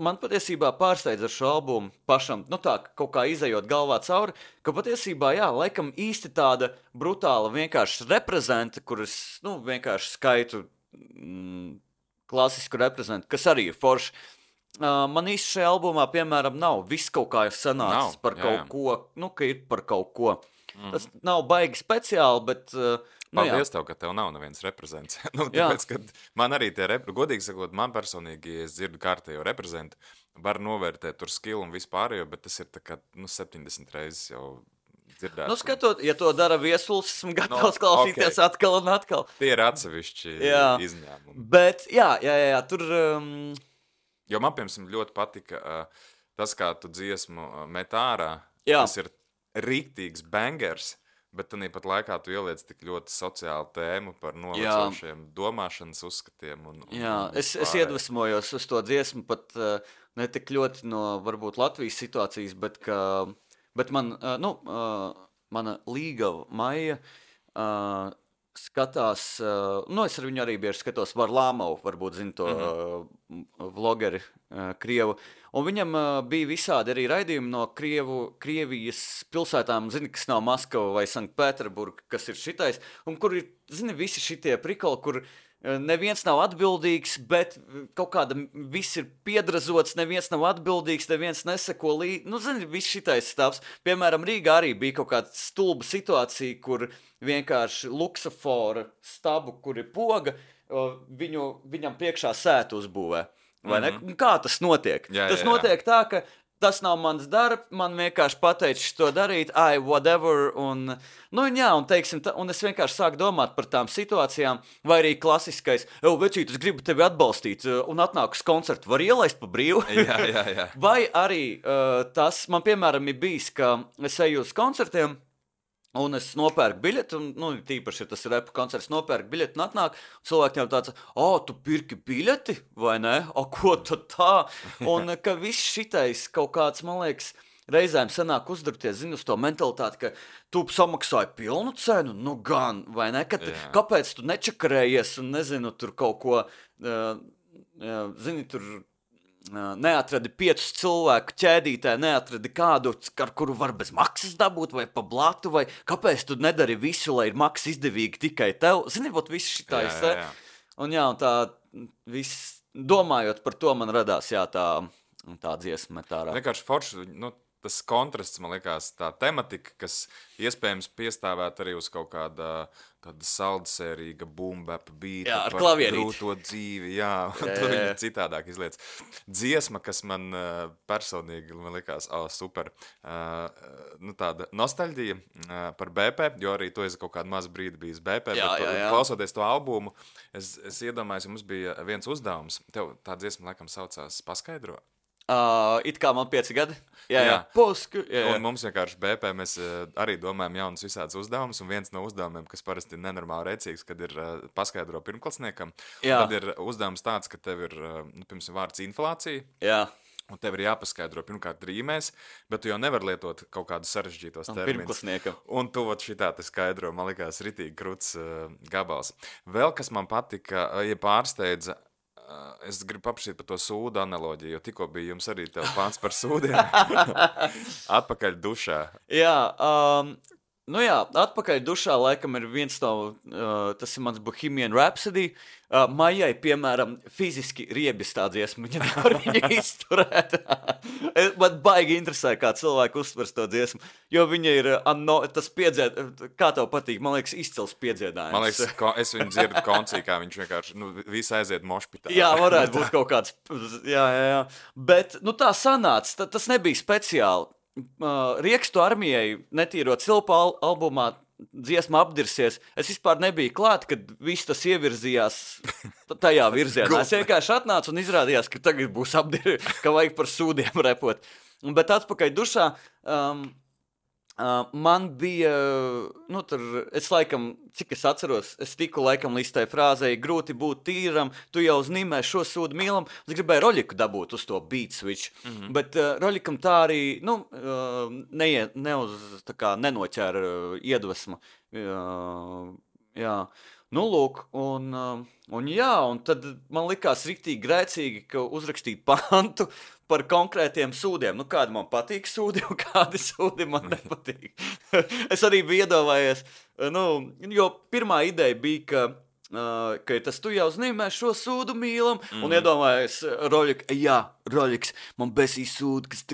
man patiesībā pārsteidz ar šo albumu pašam, tā kaut kā izejot galvā cauri, ka patiesībā, jā, laikam īsti tāda brutāla vienkārši reprezenta, kuras, vienkārši skaitu klasisku reprezentu, kas arī ir forši. Man īsti šajā albumā, piemēram, nav. Viss kaut kā ir sanācis par kaut ko, ka ir par kaut ko. Tas nav baigi speciāli, bet... Paldies tev, ka tev nav neviens reprezents. Tāpēc, kad man arī tie godīgi sakot, man personīgi, ja es dzirdu kārtējo reprezentu, var novērtēt tur skilu un vispārējo, bet tas ir tā kā 70 reizes jau dzirdēts. Skatot, ja to dara Viesuls, esmu gatavs klausīties atkal un atkal. Tie ir atsevišķi izņēmumi. Bet, jā, tur... Jo man, piemēram, ļoti patika tas, kā tu dziesmu met ārā. Tas ir rīktīgs bangers, bet tāpat laikā tu ieliec tik ļoti sociālu tēmu par novecošiem domāšanas uzskatiem. Es iedvesmojos uz to dziesmu pat ne tik ļoti no varbūt Latvijas situācijas, bet mana līgava Maija skatās, es ar viņu arī bieži skatos Varlamovu, varbūt zinu to vlogeri Krievu, un viņam bija visādi arī raidījumi no Krievijas pilsētām, kas nav Maskava vai Sanktpēterburga, kas ir šitais, un kur ir, visi šitie prikoli, kur neviens nav atbildīgs, bet kaut kāda viss ir piedrazots, neviens nav atbildīgs, neviens neseko līdzi. Viss šitais stāvs. Piemēram, Rīgā arī bija kaut kāda stulba situācija, kur vienkārši luksofora stabu, kur ir poga, viņam priekšā sētu uzbūvē. Vai ne? Kā tas notiek? Tas notiek tā, ka tas nav mans darbs, man vienkārši pateicis to darīt, whatever, un teiksim, un es vienkārši sāku domāt par tām situācijām, vai arī klasiskais, vecīt, es gribu tevi atbalstīt, un atnāk uz koncertu, var ielaist pa brīvu? Jā. Vai arī tas, man piemēram ir bijis, ka es eju uz koncertiem, un es nopērku biļeti, un tīpaši, ja tas ir repu koncerts, nopērku biļeti un atnāk, cilvēkiem tāds, tu pirki biļeti, vai ne? Ko tad tā? Un ka viss šitais kaut kāds, man liekas, reizēm sanāk uzdurties, uz to mentalitāti, ka tu samaksāji pilnu cenu, gan, vai ne? Kāpēc tu nečakarējies un nezinu, tur kaut ko, tur... neatradi 5 cilvēku ķēdītē, neatradi kādu, ar kuru var bez maksas dabūt, vai pa blatu, vai kāpēc tu nedari visu, lai ir maksa izdevīgi tikai tev? Viss šitais te. Un tā, viss, domājot par to, man radās, tā dziesma met ārā. Vienkārši forši, tas kontrasts, man liekas, tā tematika, kas iespējams piestāvēt arī uz kaut kāda tāda saldsērīga boom-bap beata ar par grūto dzīvi, tur viņa citādāk izliec. Dziesma, kas man personīgi, man liekas, super, tāda nostalģija par BP, jo arī tu esi kaut kādu mazu brīdi bijis BP, bet klausoties to albumu, es iedomājos, ja mums bija viens uzdevums, tev tā dziesma laikam saucās Paskaidro? It kā man 5 gadi. Jā. Un mums vienkārši BP mēs arī domājam jaunus visādus uzdevumus, un viens no uzdevumiem, kas parasti ir nenormāli rēcīgs, kad ir paskaidro pirmklasniekam, tad ir uzdevums tāds, ka tev ir, piemēram, vārds inflācija. Jā. Un tev ir jāpaskaidro pirmkārt rīmēs, bet tu jau nevar lietot kaut kādus sarežģītos terminus. Un tu šitā te skaidro, man likās, ritīgi krūts gabals. Vēl, kas man patika, ja pārsteidza, es gribu paprasīt par to sūdu analoģiju, jo tikko bija jums arī tev pāns par sūdiem. Atpakaļ dušā. Atpakaļ dušā laikam ir viens no, tas ir mans Bohemian Rhapsody. Maijai, piemēram, fiziski riebjas tā dziesma, viņa nevar viņu izturēt. Man baigi interesē, kā cilvēki uztvers to dziesmu, jo viņa ir, tas kā tev patīk, man liekas, izcils piedziedājums. Man liekas, es viņu dzirdu koncī, kā viņš vienkārši, visi aiziet mošpitā. Jā, varētu būt kaut kāds, jā. Bet, tā sanāca, tas nebija speciāli. Riekstu armijai netīro cilpu albumā dziesma apdirsies. Es vispār nebiju klāt, kad viss tas ievirzījās tajā virzienā. Es vienkārši atnācu un izrādījās, ka tagad būs ka vajag par sūdiem repot. Bet atpakaļ dušā man bija, es laikam, cik es atceros, es tiku laikam līdz tai frāzei, grūti būt tīram, tu jau uznīmē šo sūdu mīlam, es gribēju Roļiku dabūt uz to beat switch, bet Roļikam tā arī, nenoķēra iedvesmu, Jā. Nu, lūk, un tad man likās riktīgi grēcīgi, ka uzrakstīt pantu par konkrētiem sūdiem. Nu, kādi man patīk sūdi, un kādi sūdi man nepatīk. Es arī biju iedomājies, jo pirmā ideja bija, ka tas tu jau zini, mēs šo sūdu mīlam, un iedomājies Roļiks, man besīs sūdu, kas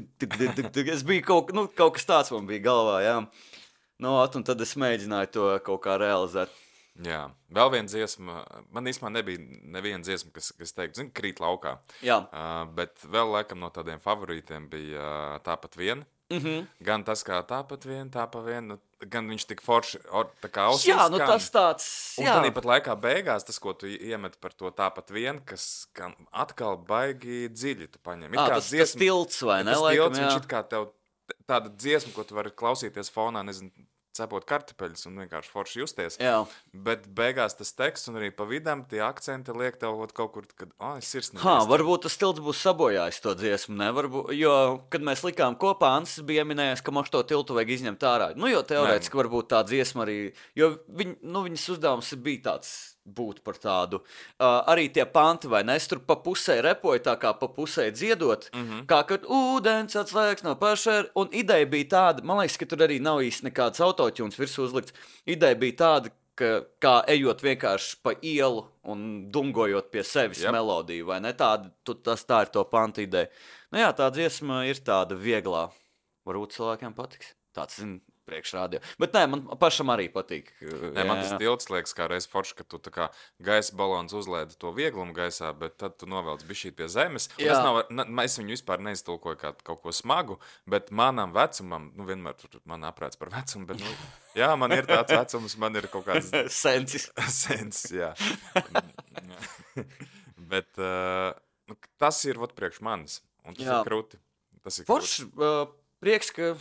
es biju kaut kas tāds man bija galvā, jā. Un tad es mēģināju to kaut kā realizēt. Jā, vēl viena dziesma, man īstenībā nebija neviena dziesma, kas teiktu, zini, krīt laukā. Jā. Bet vēl laikam no tādiem favorītiem bija Tāpat vien. Gan tas, kā tāpat vien, gan viņš tik forši, tā kā ausīs. Jā, tas tāds, un tad pat laikā beigās tas, ko tu iemet par to tāpat vien, kas atkal baigi dziļi tu paņem. Tas tilts, vai ne? Tas tilts, viņš it kā tev tāda dziesma, ko tu vari klausīties fonā, nezinu, cepot kartupeļus un vienkārši forši justies. Jā. Bet beigās tas teksts un arī pa vidam tie akcenti liek tev kaut kur, kad es sirsnīgi. Varbūt tas tilts būs sabojājis to dziesmu, ne? Varbūt, jo, kad mēs likām kopā, Ansis bija minējis, ka mums to tiltu vajag izņemt ārā. Jo teorētiski varbūt tā dziesma arī, jo viņas uzdevums bija tāds būt par tādu. Arī tie panti, vai ne? Es tur pa pusē repoju, tā kā pa pusē dziedot, kā kad ūdens atslēgs no paša, un ideja bija tāda, man liekas, ka tur arī nav īsti nekāds autotūns virsū uzlikts. Ideja bija tāda, ka kā ejot vienkārši pa ielu un dungojot pie sevis melodiju, vai ne? Tā ir to pantu ideja. Tā dziesma ir tāda vieglā. Varbūt cilvēkiem patiks. Tāds, priekšrādio. Bet nē, man pašam arī patīk. Man tas tilts liekas kā reiz forši, ka tu tā kā gaisa balons uzlēdi to vieglumu gaisā, bet tad tu novelc bišķīt pie zemes. Es viņu vispār neiztulkoju kā kaut ko smagu, bet manam vecumam, vienmēr tur man aprēc par vecumu, bet man ir tāds vecums, man ir kaut kāds sensis, jā. Bet tas ir priekš manis, un tas ir krūti. Forši, prieks, ka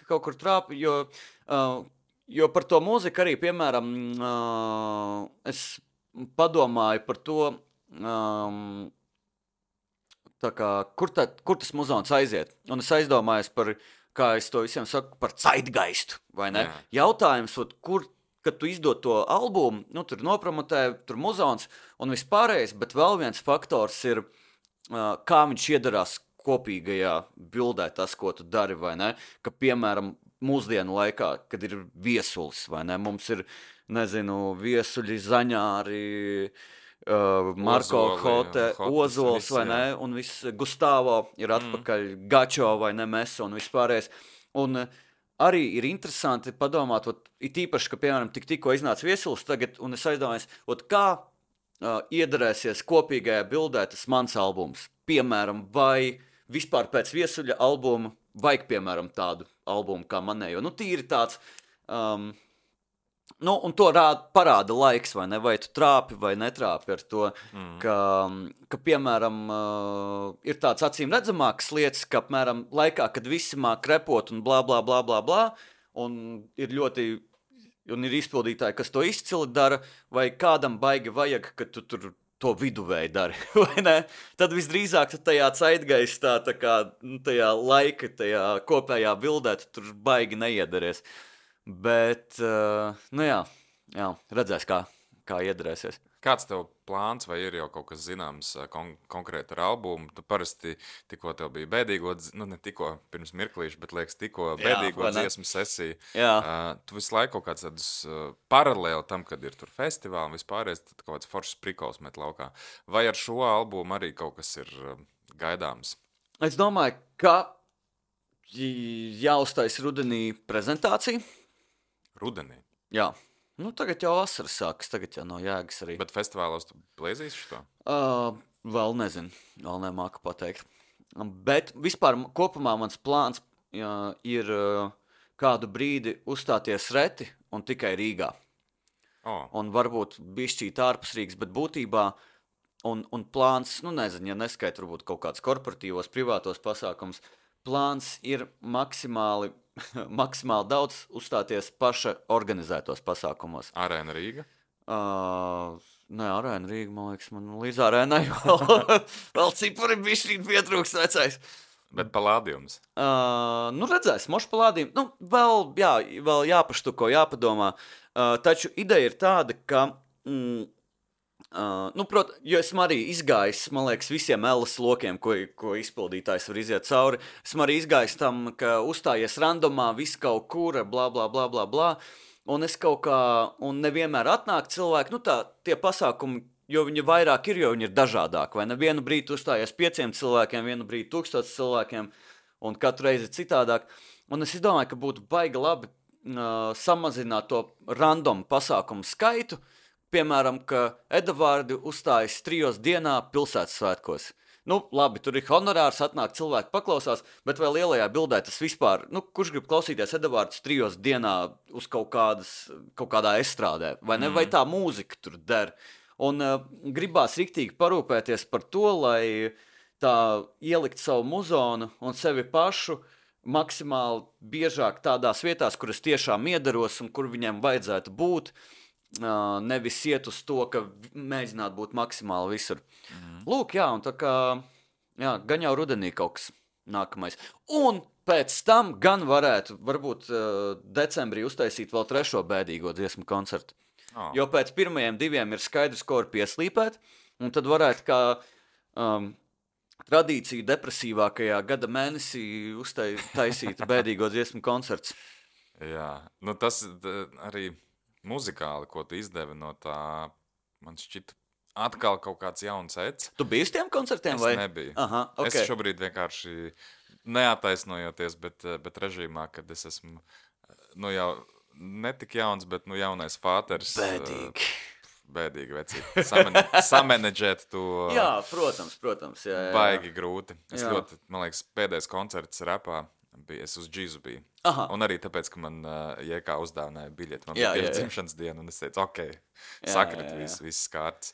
kaut kur trāp, jo par to mūziku arī, piemēram, es padomāju par to, tā kā, kur tas muzons aiziet. Un es aizdomājos par, kā es to visiem saku, par zeitgeistu, vai ne? Jā. Jautājums, kad tu izdod to albumu, tur nopromotē, tur muzons un vispārējais, bet vēl viens faktors ir, kā viņš iedarās kopīgajā bildē tas, ko tu dari, vai ne? Ka, piemēram, mūsdienu laikā, kad ir viesulis, vai ne? Mums ir, nezinu, viesuļi, zaņāri, Marko Hote, Ozols, vai ne? Un viss Gustavo ir atpakaļ, Gačo, vai ne? Meso un vispārējais. Un arī ir interesanti padomāt, it īpaši, ka, piemēram, tikko iznāca viesulis tagad, un es aizdomājos, kā iedarēsies kopīgajā bildē tas mans albums. Piemēram, vai vispār pēc viesuļa albuma vajag, piemēram, tādu albumu kā manējo. Tīri tāds, un to parāda laiks, vai ne? Vai tu trāpi vai netrāpi ar to, ka piemēram, ir tāds acīm redzamāks lietas, ka, apmēram, laikā, kad visi māk repot un blā, blā, blā, blā, blā, un ir izpildītāji, kas to izcili dara, vai kādam baigi vajag, ka tu tur to viduvēji dari, vai ne? Tad visdrīzāk tajā zeitgeistā, tajā laika, tajā kopējā bildē, tur baigi neiedaries. Bet, redzēs, kā iedarēsies. Kāds tev plāns, vai ir jau kaut kas zināms konkrēti ar albumu? Tu parasti tikko tev bija bēdīgo, ne tikko pirms mirklīša, bet liekas tikko bēdīgo dziesmu sesiju. Tu visu laiku kaut kāds tādus paralēli tam, kad ir tur festivāli un vispārējais, tad kaut kāds foršs prikols met laukā. Vai ar šo albumu arī kaut kas ir gaidāms? Es domāju, ka jāuztais rudenī prezentācija. Rudenī? Jā. Tagad jau vasaras sākas, tagad jau nav jēgas arī. Bet festivālos tu plēzīsi šo? Vēl nezinu, vēl nemāku pateikt. Bet vispār kopumā mans plāns ir kādu brīdi uzstāties reti un tikai Rīgā. Un varbūt bišķīt ārpus Rīgas, bet būtībā un plāns, nezinu, ja neskait varbūt kaut kāds korporatīvos, privātos pasākums, plāns ir maksimāli daudz uzstāties paša organizētos pasākumos. Arēna Rīga? Nē, Arēna Rīga, man liekas, man līdz Arēnai vēl cipari bišķīt pietrūkst vecais. Bet palādījums? Redzēs, mošu palādījums. Vēl jāpaštuko, jāpadomā. Taču ideja ir tāda, ka, jo esmu arī izgājis, man liekas, visiem LS lokiem, ko izpildītājs var iziet cauri. Esmu arī izgājis tam, ka uzstājies randomā, viss kaut kur, blā, blā, blā, blā, blā. Un es kaut kā, un nevienmēr atnāk cilvēki, tie pasākumi, jo viņi vairāk ir, jo viņi ir dažādāki, vai ne? Vienu brīdi uzstājies 5 cilvēkiem, vienu brīdi 1000 cilvēkiem, un katru reizi citādāk. Un es izdomāju, ka būtu baigi labi samazināt to random pasākumu skaitu, piemēram, ka Edavārdi uzstājas 3 dienā pilsētas svētkos. Labi, tur ir honorārs, atnāk cilvēki paklausās, bet vai lielajā bildē tas vispār, kurš grib klausīties Edavārdus 3 dienā uz kaut kādā estrādē, vai ne, vai tā mūzika tur der. Un gribās riktīgi parūpēties par to, lai tā ielikt savu muzonu un sevi pašu maksimāli biežāk tādās vietās, kuras tiešām iedaros un kur viņiem vajadzētu būt, nevis iet uz to, ka mēģināt būt maksimāli visur. Lūk, un tā kā, gan jau rudenī kaut kas nākamais. Un pēc tam gan varētu, varbūt decembrī uztaisīt vēl 3. bēdīgo dziesmu koncertu. Jo pēc pirmajiem 2 ir skaidrs, ko var pieslīpēt, un tad varētu kā tradīciju depresīvākajā gada mēnesī uztaisīt bēdīgo dziesmu koncerts. Jā, tas arī muzikāli, ko tu izdevi no tā, man šķita atkal kaut kāds jauns ets. Tu biji uz tiem koncertiem? Es nebiju. Aha, okay. Es šobrīd vienkārši neataisnojoties, bet režīmā, kad es esmu, jau netik jauns, bet jaunais fāters. Bēdīgi. Bēdīgi vecīgi. Samanedžēt to. Jā, protams. Jā. Baigi grūti. Es ļoti, man liekas, pēdējais koncerts rapā bija, es uz džīzu biju. Aha. Un arī tāpēc, ka man JK uzdāvināja biļeti. Man bija tieši dzimšanas diena, un es teicu, sakrit viss kārtas.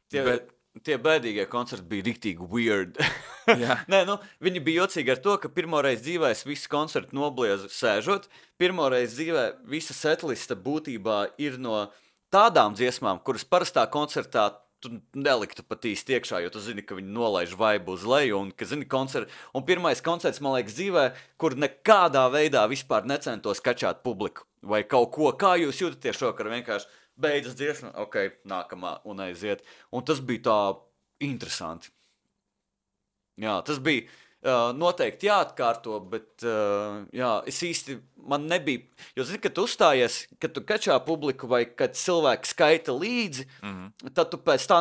Tie bēdīgie koncerti bija riktīgi weird. Nē, viņi bija jocīgi ar to, ka pirmoreiz dzīvē es visu koncertu nobliezu sēžot. Pirmoreiz dzīvē visa setlista būtībā ir no tādām dziesmām, kuras parastā koncertā tu neliktu pat īsti iekšā, jo tu zini, ka viņi nolaiž vaibu uz leju, un pirmais koncerts, man liekas, dzīvē, kur nekādā veidā vispār necentos kačāt publiku, vai kaut ko, kā jūs jūtaties šokar, vienkārši beidzas dziesma, nākamā un aiziet, un tas bija tā interesanti. Jā, tas bija noteikti jāatkārto, bet es īsti, man nebija, jo zini, kad tu uzstājies, kad tu kačā publiku vai kad cilvēki skaita līdzi, tad tu pēc tā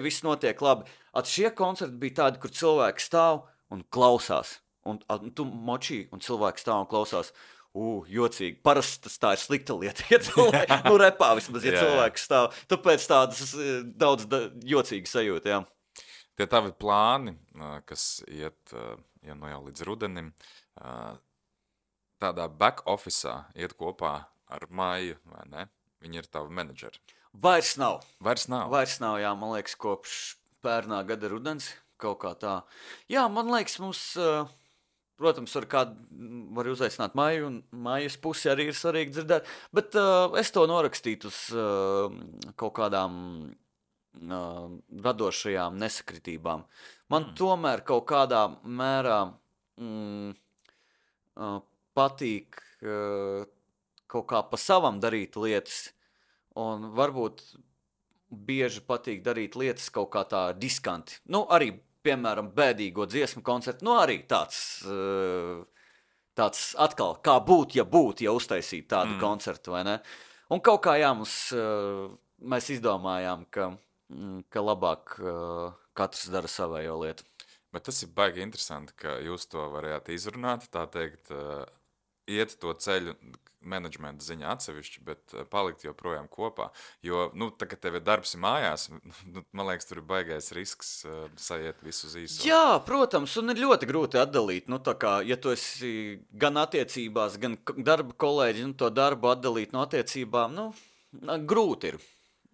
viss notiek labi. Šie koncerti bija tādi, kur cilvēki stāv un klausās, un tu močī, un cilvēki stāv un klausās, jocīgi. Parasti tā ir slikta lieta, ja cilvēki, repā vismaz, ja cilvēki stāv, tāpēc tādas daudz jocīgi sajūta, jā. Tie tavi plāni, kas iet jau līdz rudenim, tādā back officeā iet kopā ar Maiju, vai ne? Viņi ir tavi menedžeri. Vairs nav, jā, man liekas, kopš pērnā gada rudens, kaut kā tā. Jā, man liekas, mums, protams, var uzaicināt Maiju, un Maijas pusi arī ir svarīgi dzirdēt, bet es to norakstītu uz kaut kādām radošajām nesakritībām. Man tomēr kaut kādā mērā patīk kaut kā pa savam darīt lietas, un varbūt bieži patīk darīt lietas kaut kā tā diskanti. Arī, piemēram, bēdīgo dziesmu koncertu, arī tāds atkal, kā ja uztaisīt tādu koncertu, vai ne? Un kaut kā, mēs izdomājām, ka labāk katrs dara savējo lietu. Bet tas ir baigi interesanti, ka jūs to varējāt izrunāt, tā teikt, iet to ceļu menedžmenta ziņā atsevišķi, bet palikt joprojām kopā. Jo, tā, ka tev ir darbs mājās, man liekas, tur ir baigais risks sajiet visu uz īso. Jā, protams, un ir ļoti grūti atdalīt. Tā kā, ja tu esi gan attiecībās, gan darba kolēģi, to darbu atdalīt no attiecībām, grūti ir.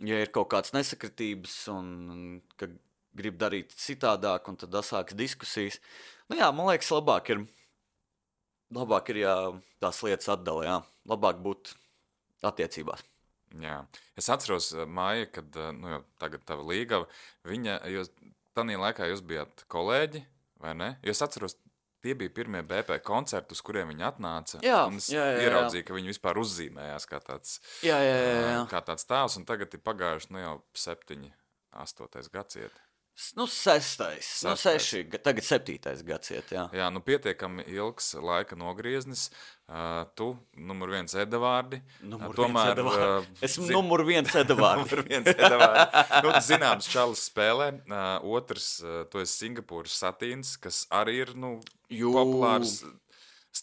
Ja ir kaut kāds nesakritības un ka grib darīt citādāk, un tad sāks diskusijas. Man liekas, labāk ir, ja tās lietas atdala, jā. Labāk būt attiecībās. Jā. Es atceros, Maija, kad, jau tagad tava līgava, viņa, jo tanī laikā jūs bijāt kolēģi, vai ne? Jo es atceros, tie bija pirmie BP koncerti, uz kuriem viņi atnāca. Jā, un es jā. ieraudzīju, ka viņi vispār uzzīmējās kā tāds, Jā. kā tāds tēls, un tagad ir pagājuši jau 7, 8 gads iet. Nu, 6. Nu, 6, tagad 7. gads iet, jā. Jā, nu pietiekami ilgs laika nogrieznis. Tu, numur 1 Edavārdi. Tomēr esmu numur 1 Edavārdi. Numur 1 Edavārdi. Nu, zināms, čalis spēlē. Otrs, tu esi Singapūras Satīns, kas arī ir, populārs.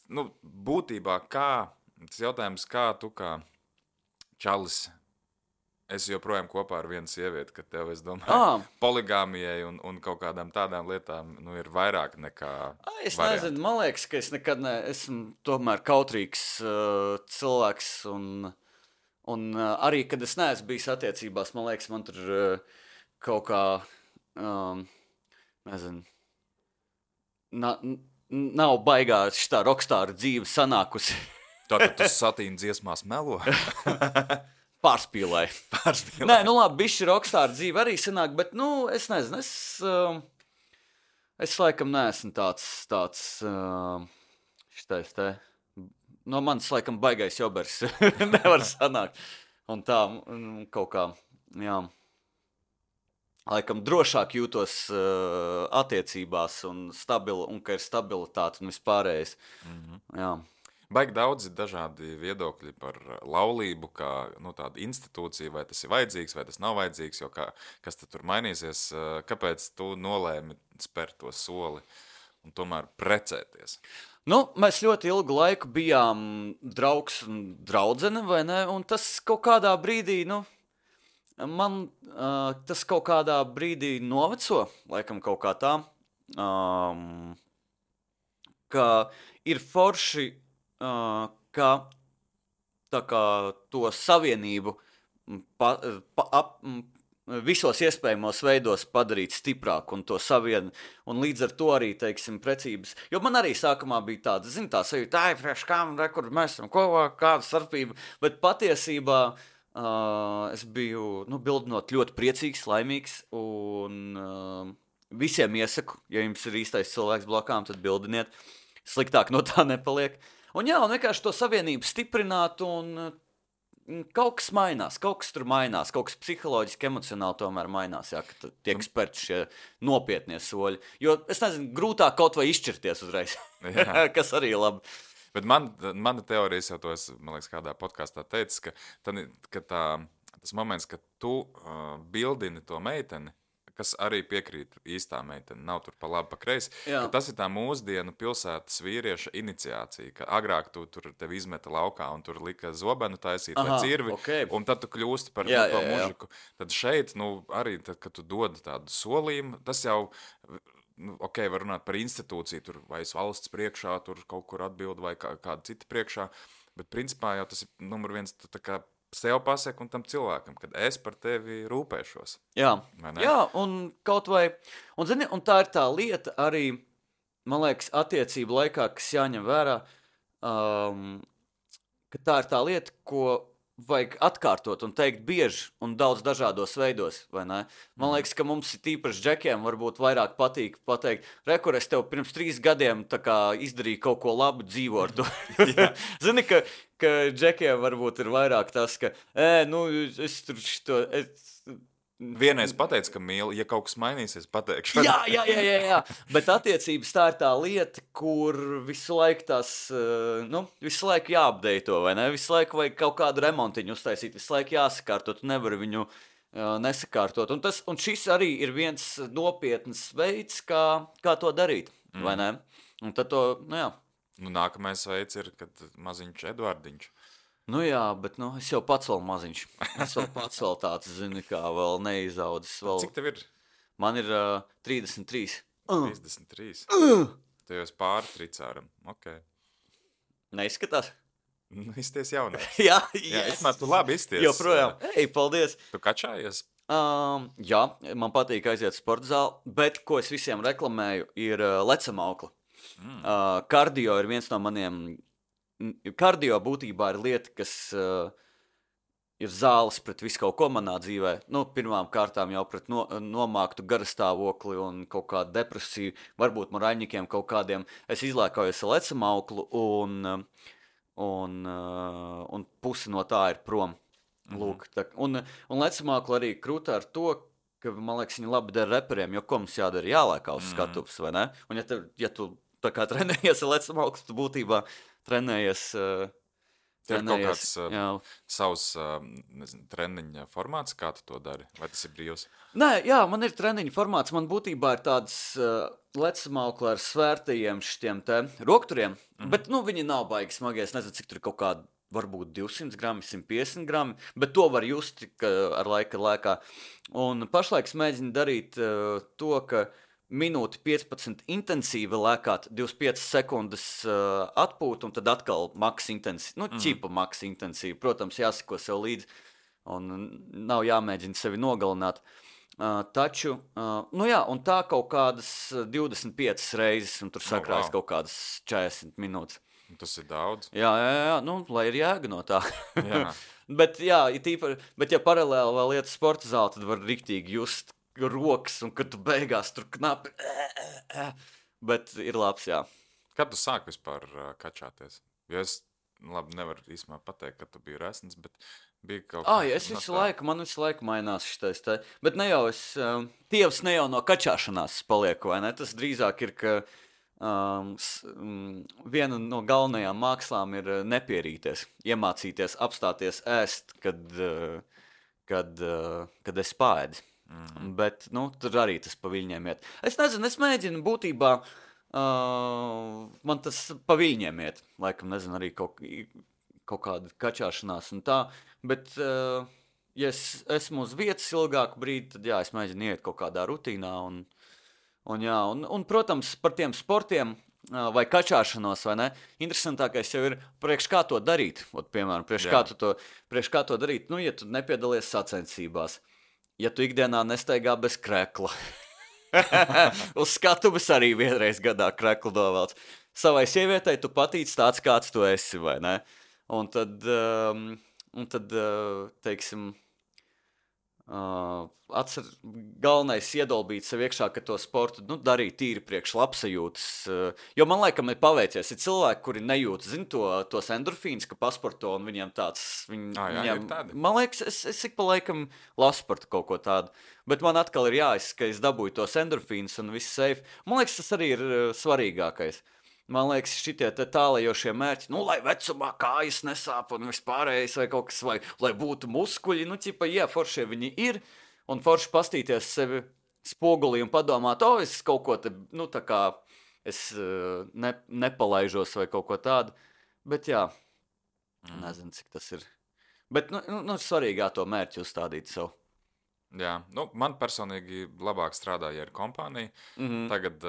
Nu, būtībā tas jautājums, kā tu kā čalis esi joprojām kopā ar vienu sievieti, ka tev, es domāju, poligāmijai un kaut kādām tādām lietām ir vairāk nekā Es nezinu, man liekas, ka es nekad esmu tomēr kautrīgs cilvēks, un arī, kad es neesmu bijis attiecībās, man liekas, man tur kaut kā, nezinu, nav baigā šitā rokstāra dzīve sanākusi. Tātad tu Satīna dziesmās melo? Pārspīlēju. Nē, nu labi, bišķi rokstāra dzīve arī sanāk, bet, es nezinu, es laikam neesmu tāds šitais te, no manis laikam baigais jobers nevar sanākt. Un tā, kaut kā, jā, laikam drošāk jūtos attiecībās un ka ir stabilitāte un vispārējais. Jā. Baigi daudz ir dažādi viedokļi par laulību, kā tādu institūciju, vai tas ir vajadzīgs, vai tas nav vajadzīgs, jo kas tad tur mainīsies, kāpēc tu nolēmi spērt to soli un tomēr precēties? Mēs ļoti ilgu laiku bijām draugs un draudzene, vai ne? Un tas kaut kādā brīdī, man tas kaut kādā brīdī noveco, laikam kaut kā tā, ka ir forši, ka tā kā to savienību visos iespējamos veidos padarīt stiprāku un to un līdz ar to arī, teiksim, precības. Jo man arī sākumā bija tāda, tā sajūta, priekš kam, kur mēs esam kopā, kāda starpība, bet patiesībā es biju, bildinot ļoti priecīgs, laimīgs un visiem iesaku, ja jums ir īstais cilvēks blakām, tad bildiniet, sliktāk no tā nepaliek. Un vienkārši to savienību stiprināt un kaut kas mainās, kaut kas tur mainās, kaut kas psiholoģiski, emocionāli tomēr mainās, ka tiek spērti šie nopietnie soļi. Jo, es nezinu, grūtāk kaut vai izšķirties uzreiz, kas arī labi. Bet mana teorijas jau to es, man liekas, kādā podkastā teicis, ka tas moments, kad tu bildini to meiteni, kas arī piekrīt īstā meitene, nav tur pa labi, pa kreisi, ka tas ir tā mūsdienu pilsētas vīrieša iniciācija, ka agrāk tu tur tevi izmeta laukā un tur lika zobenu taisīt vai cirvi, un tad tu kļūsti par to mužiku. Tad šeit, arī tad, kad tu dod tādu solījumu, tas jau, var runāt par institūciju, tur vai valsts priekšā, tur kaut kur atbild vai kāda cita priekšā, bet principā jau tas ir numur 1, tu tā kā sev pasaka un tam cilvēkam, kad es par tevi rūpēšos. Jā, un kaut vai, un tā ir tā lieta arī, man liekas, attiecību laikā, kas jāņem vērā, ka tā ir tā lieta, ko vajag atkārtot un teikt bieži un daudz dažādos veidos, vai ne? Man liekas, ka mums tīpaši džekiem varbūt vairāk patīk pateikt, rekur, es tev pirms 3 gadiem tā kā izdarīju kaut ko labu, dzīvo ar to. Zini, ka džekiem varbūt ir vairāk tas, ka, es tur šito... Vienreiz pateicu, ka mīli, ja kaut kas mainīsies, pateikšu. Jā, bet attiecības tā ir tā lieta, kur visu laiku visu laiku jāapdeito, vai ne? Visu laiku vajag kaut kādu remontiņu uztaisīt, visu laiku jāsakārtot, tu nevari viņu nesakārtot. Un šis arī ir viens nopietns veids, kā to darīt, vai ne? Un tad to, jā. Nākamais veids ir, kad maziņš Eduardiņš. Jā, bet es jau pats vēl maziņš. Es vēl pats vēl tāds, zini, kā vēl neizaudzis. Cik tev ir? Man ir 33. 33? Tu jau esi pāri tricāram. Ok. Neizskatās? Izties jaunais. Jā, es man tu labi izties. Joprojām. Paldies. Tu kačājies? Jā, man patīk aiziet sporta zāli, bet ko es visiem reklamēju, ir lecamaukla. Kardio ir viens no maniem... Kardio būtībā ir lieta, kas ir zāles pret visu kaut ko manā dzīvē. Nu, pirmām kārtām jau pret nomāktu garastāvokli un kaut kādu depresiju, varbūt moraļņikiem kaut kādiem. Es izlēkājos ar lecamauklu un pusi no tā ir prom. Lūk, un lecamākla arī krūta ar to, ka, man liekas, viņi labi dara reperiem, jo ko mums jādara? Jālēkā uz skatuves, vai ne? Un ja tu tā kā trenējies ar lecamāklu, tu būtībā trenējies... Tev ir kaut kāds savs treniņa formāts, kā tu to dari? Vai tas ir brīvs? Nē, jā, man ir treniņa formāts. Man būtībā ir tāds lecamaukla ar svērtajiem šitiem te rokturiem, bet, viņi nav baigi smagi. Es nezinu, cik tur ir kaut kādi, varbūt 200 grami, 150 grami, bet to var just ar laika lēkā. Un pašlaik es mēģinu darīt to, ka minūti 15 intensīvi lēkāt, 25 sekundes atpūt, un tad atkal maks intensīvi, ķipa maks intensīvi. Protams, jāsako sev līdzi, un nav jāmēģina sevi nogalināt. Taču, un tā kaut kādas 25 reizes, un tur sakrājas kaut kādas 40 minūtes. Tas ir daudz. Jā, lai ir jēga no tā. bet ja paralēli vēl iet sporta zāli, tad var riktīgi just rokas, un kad tu beigās tur knapi, bet ir labs, jā. Kad tu sāki vispār kačāties? Jo es, nevaru īsumā pateikt, ka tu biji resns, bet bija kaut kā... Man visu laiku mainās šitais te, bet ne jau es, tievs ne jau no kačāšanās palieku, vai ne? Tas drīzāk ir, ka viena no galvenajām mākslām ir nepierīties, iemācīties, apstāties ēst, kad es pāēdu. Bet, tur arī tas pa viļņiem iet. Es nezinu, es mēģinu būtībā, man tas pa viļņiem iet. Laikam, nezinu, arī kaut kāda kačāšanās un tā. Bet, ja es esmu uz vietas ilgāku brīdi, tad jā, es mēģinu iet kaut kādā rutīnā. Un, protams, par tiem sportiem vai kačāšanos, vai ne? Interesantākais jau ir, priekš kā to darīt. Piemēram, priekš kā to darīt, ja tu nepiedalies sacensībās. Ja tu ikdienā nestaigā bez krekla. Uz skatuves arī vienreiz gadā kreklu dovēlts. Savai sievietei tu patīc tāds, kāds tu esi, vai ne? Un tad teiksim, galvenais iedolbīt sev iekšā, ka to sportu darīt tīri priekš labsajūtas. Jo man laikam ir paveicies. Ir cilvēki, kuri nejūt, tos endorfīns, ka pasporto un viņiem tāds... ir tādi. Man liekas, es ik pa laikam lasu par kaut ko tādu. Bet man atkal ir ka es dabūju tos endorfīns un viss safe. Man liekas, tas arī ir svarīgākais. Man liekas, šitie tālajošie mērķi, lai vecumā kājas nesāp un vispārējais vai kaut kas, vai lai būtu muskuļi, foršie viņi ir, un forši pastīties sevi spogulī un padomāt, es kaut ko te, tā kā es nepalaižos vai kaut ko tādu, bet jā, nezinu, cik tas ir. Bet, svarīgā to mērķi uzstādīt sev. Jā, man personīgi labāk strādāja ar kompāniju, tagad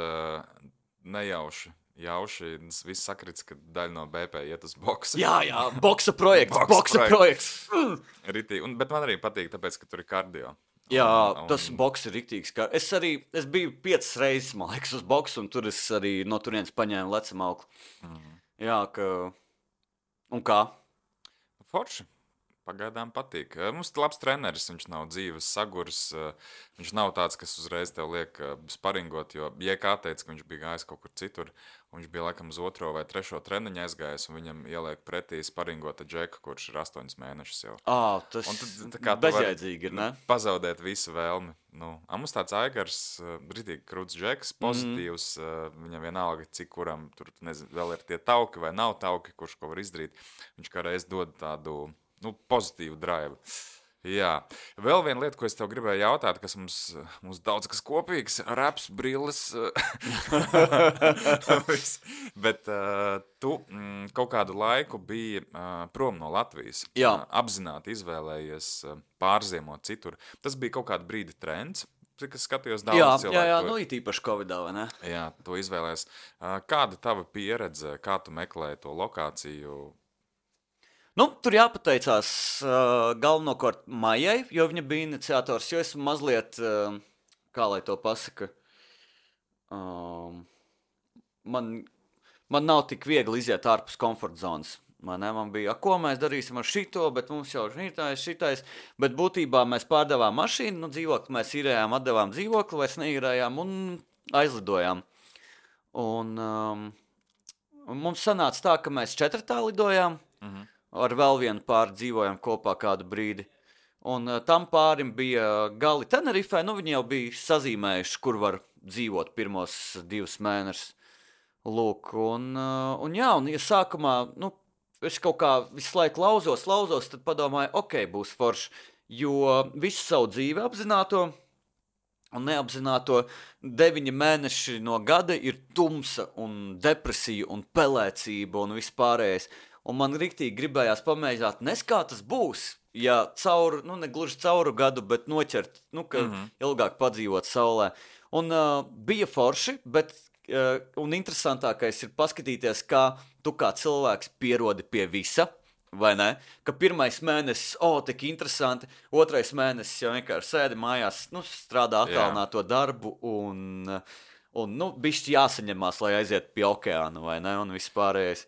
nejauši. Viss sakrits, ka daļa no BP iet uz boksu. Jā, boksa projekts. Bet man arī patīk, tāpēc, ka tur ir kardio. Jā, tas boks ir riktīgs. Es biju 5 reizes, man liekas, uz boksu, un tur es arī no turienes paņēmu lecamauklu. Jā, un kā? Forši. Pagaidām patīk. Mums ir labs treneris, viņš nav dzīves sagurs, viņš nav tāds, kas uzreiz tev liek sparingot, jo kā teica, ka viņš bija gājis kaut kur citur, un viņš bija laikam uz 2. vai 3. treniņu aizgājis, un viņam ieliek pretī sparingota džeka, kurš ir 8 mēnešus jau. Tas bezjēdzīgi ir, ne? Pazaudēt visu vēlmi. Mums tāds Aigars, ritīgi krūts džeks, pozitīvs, viņam vienalga, cik kuram tur, nezinu, vēl ir tie tauki vai nav tauki, kurš ko var izdarīt. Viņš kā reiz dod tādu pozitīvu drive. Jā. Vēl viena lieta, ko es tev gribēju jautāt, kas mums daudz kas kopīgs, raps, brilles. Bet tu kaut kādu laiku biji prom no Latvijas. Jā. Apzināti izvēlējies pārziemot citur. Tas bija kaut kādu brīdi trends. Cik es skatījos daudz cilvēku. Jā, it īpaši Covidā, vai ne? Jā, to izvēlējies. Kāda tava pieredze, kā tu meklēji to lokāciju? Tur jāpateicās galvenokārt Maijai, jo viņa bija iniciators, jo esmu mazliet, kā lai to pasaka, man nav tik viegli iziet ārpus komforta zonas. Man bija, ko mēs darīsim ar šito, bet mums jau šitais. Bet būtībā mēs pārdevām mašīnu, dzīvokli mēs īrējām, atdevām dzīvokli, vairs neīrējām un aizlidojām. Un mums sanāca tā, ka mēs 4 lidojām, ar vēl vienu pāri dzīvojām kopā kādu brīdi. Un tam pārim bija gali Tenerifē, viņi jau bija sazīmējuši, kur var dzīvot pirmos 2 mēnešus. Lūk, un ja sākumā, es kaut kā visu laiku lauzos, tad padomāju, ok, būs forši, jo visu savu dzīvi apzināto un neapzināto 9 mēneši no gada ir tumsa un depresija un pelēcība un vispārējais. Un man riktīgi gribējās pamēģināt, kā tas būs, ja ne gluži cauru gadu, bet noķert, ka ilgāk padzīvot saulē. Un bija forši, bet un interesantākais ir paskatīties, kā tu kā cilvēks pierodi pie visa, vai ne? Ka pirmais mēnesis, tik interesanti, otrais mēnesis jau vienkārši sēdi mājās, strādā attālināto darbu un bišķi jāsaņemās, lai aiziet pie okeāna, vai ne? Un vispārējais.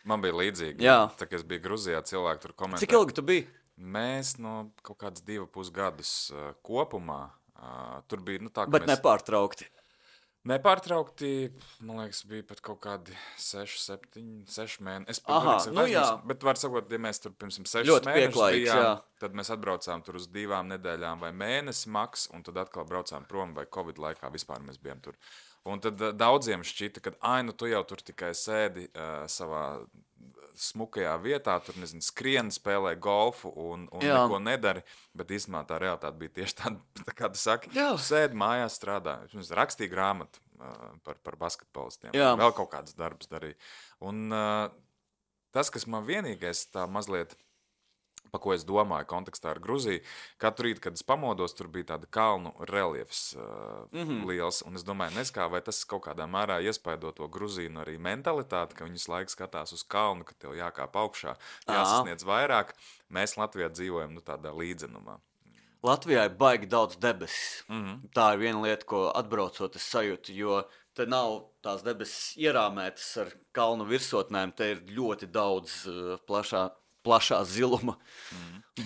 Man bija līdzīgi. Tā, kad es biju Gruzijā, cilvēki tur komentē. Cik ilgi tu biji? Mēs kaut kāds 2,5 gadus kopumā. Tur bija, tā, ka bet nepārtraukti. Nepārtraukti, man liekas, bija pat kaut kādi 6 mēneši. Bet var sakot, ja mēs tur pirms 6 mēnešus bijām, tad mēs atbraucām tur uz 2 nedēļām vai mēnesi maks, un tad atkal braucām prom, vai Covid laikā vispār mēs bijām tur. Un tad daudziem šķita, ka tu jau tur tikai sēdi savā smukajā vietā, tur, skrien, spēlē golfu un neko nedari, bet īstenībā tā realitāte bija tieši tāda, kā tu saki, sēdi mājās strādā, rakstīja grāmatu par basketbolistiem, vēl kaut kādas darbus darīja. Un tas, kas man vienīgais tā mazliet, pa ko es domāju kontekstā ar Gruziju, katru rītu, kad es pamodos, tur bija tāda kalnu reliefs liels, un es domāju, vai tas kaut kādā mērā iespaido to Gruzīnu arī mentalitāti, ka viņas laiks skatās uz kalnu, ka tev jākāp augšā, jāsasniedz vairāk. Mēs Latvijā dzīvojam tādā līdzenumā. Latvijā ir baigi daudz debesis. Tā ir viena lieta, ko atbraucot es sajūtu, jo te nav tās debesis ierāmētas ar kalnu virsotnēm, te ir ļoti daudz plašā ziluma.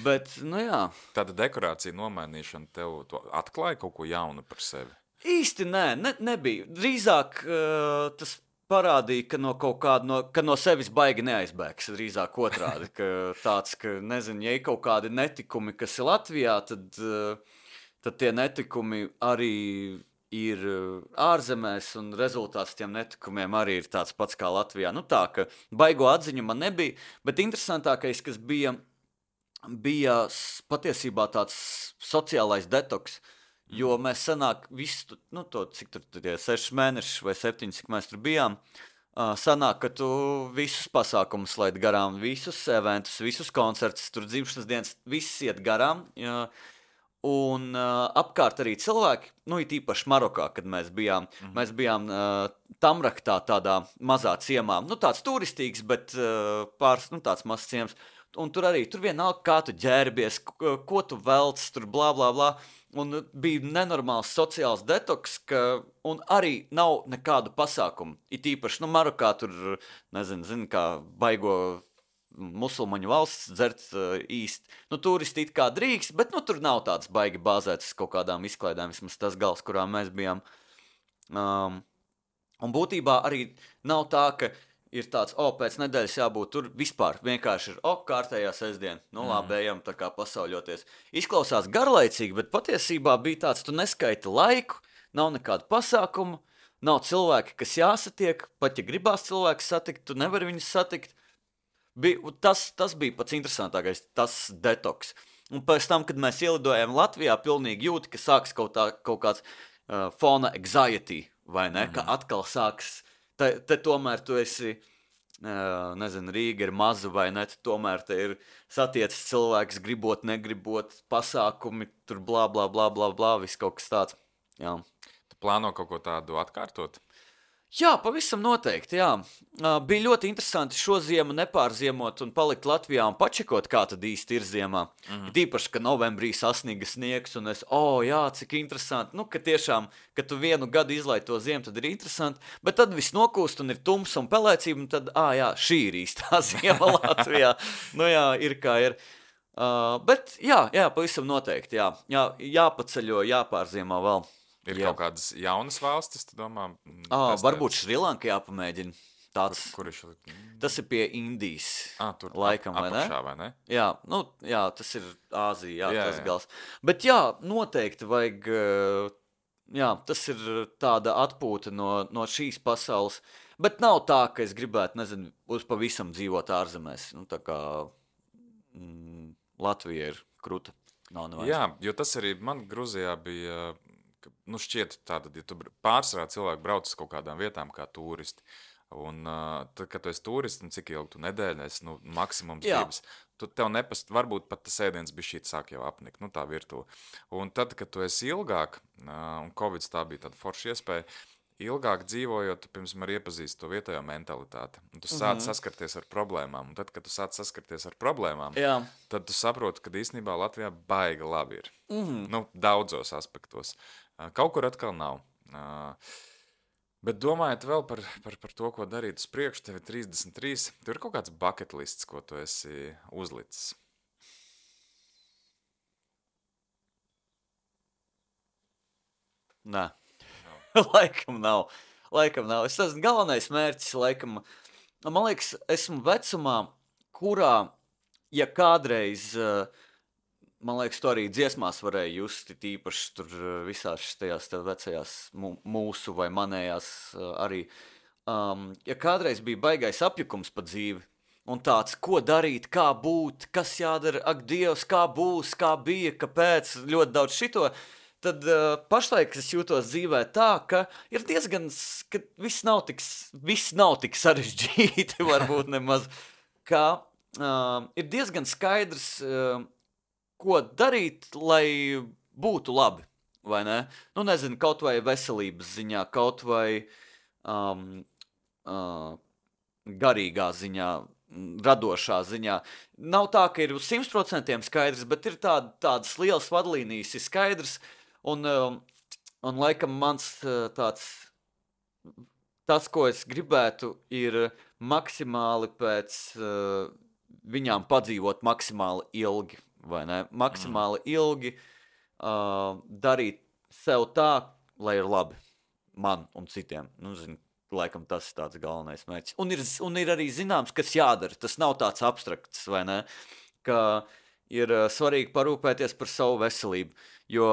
Bet, jā. Tāda dekorācija nomainīšana tev atklāja kaut ko jaunu par sevi? Īsti nebija. Drīzāk tas parādīja, ka no sevis baigi neaizbēgs. Drīzāk otrādi, ka tāds, ka, ja ir kaut kādi netikumi, kas ir Latvijā, tad tie netikumi arī ir ārzemēs, un rezultāts tiem netikumiem arī ir tāds pats kā Latvijā. Tā, ka baigo atziņu man nebija, bet interesantākais, kas bija patiesībā tāds sociālais detoks, jo mēs sanāk visu, cik tur tie 6 mēneši vai 7, cik mēs tur bijām, sanāk, ka tu visus pasākumus laid garām, visus eventus, visus koncertus, tur dzimšanas dienas, viss iet garām, un apkārt arī cilvēki, it īpaši Marokā, kad mēs bijām Tamraktā, tādā mazā ciemā, tāds turistīgs, bet tāds mazs ciems, un tur vienalga, kā tu ģērbies, ko tu velc, tur blā, blā, blā, un bija nenormāls sociāls detoks, un arī nav nekādu pasākumu, it īpaši, Marokā tur, zini, kā baigo musulmaņu valsts dzert īsti. Turisti it kā drīkst, bet tur nav tāds baigi bāzēts kaut kādām izklaidēm, vismaz tas gals, kurā mēs bijām. Un būtībā arī nav tā, ka ir tāds, pēc nedēļas jābūt tur vispār. Vienkārši ir, kārtējā sestdiena, labi, ejam tā kā pasauļoties. Izklausās garlaicīgi, bet patiesībā bija tāds, tu neskaiti laiku, nav nekādu pasākumu, nav cilvēki, kas jāsatiek, pat ja gribās cilvēks satikt, tu nevari viņus satikt. Tas bija pats interesantākais, tas detoks. Un pēc tam, kad mēs ielidojām Latvijā, pilnīgi jūti, ka sāks kaut kāds fona anxiety, vai ne? Ka atkal sāks, te tomēr tu esi, Rīga ir maza, vai ne? Tomēr te ir satiecis cilvēks, gribot, negribot, pasākumi, tur blā, blā, blā, blā, blā, viss kaut kas tāds. Jā. Tu plāno kaut ko tādu atkārtot? Jā, pavisam noteikti, jā. Bija ļoti interesanti šo ziemu nepārziemot un palikt Latvijā un pačekot, kā tad īsti ir ziemā. Tīpaši, ka novembrī sasniga sniegs un jā, cik interesanti. Nu, ka tiešām, kad tu vienu gadu izlaid to ziemu, tad ir interesanti, bet tad viss nokūst un ir tums un pelēcība, un tad, jā, šī ir īstā ziema Latvijā. Nu jā, ir kā ir. Bet jā, pavisam noteikti, jā. Jāpaceļo, jāpārziemā vēl. Ir kaut kādas jaunas valstis, tu domā? Varbūt Šrilanka jāpamēģina. Kur ir? Tas ir pie Indijas. Tur laikam, apakšā, vai ne? Jā, tas ir Āzija, tas gals. Bet jā, noteikti vajag, tas ir tāda atpūta no šīs pasaules. Bet nav tā, ka es gribētu, nezinu, uz pavisam dzīvot ārzemēs. Nu, tā kā Latvija ir kruta. Jā, jo tas arī man Gruzijā bija... Nu, šķiet tātad, ja tu pārsvarā cilvēki brauc uz kaut kādām vietām kā turisti, un tad, kad tu esi turisti, un cik ilgi tu nedēļ, maksimums divas, tev varbūt pat tas ēdiens bišķīt sāk jau apnikt, tā virtuve. Un tad, kad tu esi ilgāk, un Covid tā bija tāda forša iespēja, ilgāk dzīvojot, tu pirms man iepazīsti to vietējo mentalitāti. Un tu sāc saskarties ar problēmām. Un tad, kad tu sāc saskarties ar problēmām, tad tu saproti, ka īstenībā Latvijā baiga labi ir. Daudzos aspektos. Kaut kur atkal nav. Bet domājot vēl par to, ko darīt uz priekšu, tev ir 33. Tur ir kaut kāds bucket lists, ko tu esi uzlicis. Nē. Laikam nav. Es esmu galvenais mērķis, laikam, man liekas, esmu vecumā, kurā, ja kādreiz, man liekas, to arī dziesmās varēja just, tīpaši tur visās tajās vecajās mūsu vai manējās arī, ja kādreiz bija baigais apjukums pa dzīvi, un tāds, ko darīt, kā būt, kas jādara, ak Dievs, kā būs, kā bija, kāpēc, ļoti daudz šito, tad pašlaik es jūtos dzīvē tā, ka ir diezgan, ka viss nav tik sarežģīti, varbūt nemaz, ka ir diezgan skaidrs, ko darīt, lai būtu labi, vai ne? Nu, nezinu, kaut vai veselības ziņā, kaut vai garīgā ziņā, radošā ziņā. Nav tā, ka ir uz 100% skaidrs, bet ir tādas lielas vadlīnijas, ir skaidrs, un laikam mans tas, ko es gribētu, ir maksimāli pēc viņām padzīvot maksimāli ilgi, vai ne? Maksimāli ilgi darīt sev tā, lai ir labi man un citiem. Nu, zinu, laikam tas ir tāds galvenais mērķis. Un ir arī zināms, kas jādara. Tas nav tāds abstrakts, vai ne? Ka ir svarīgi parūpēties par savu veselību, jo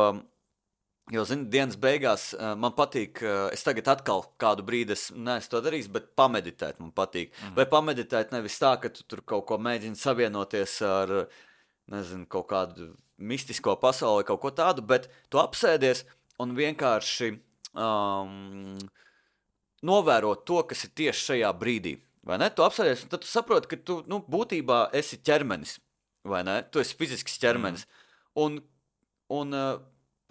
zini, dienas beigās man patīk, es tagad atkal kādu brīdi neesmu to darījis, bet pameditēt man patīk. Vai pameditēt nevis tā, ka tu tur kaut ko mēģini savienoties ar, nezinu, kaut kādu mistisko pasauli, kaut ko tādu, bet tu apsēdies un vienkārši novērot to, kas ir tieši šajā brīdī. Vai ne? Tu apsēdies un tad tu saproti, ka tu būtībā esi ķermenis. Vai ne? Tu esi fizisks ķermenis. Un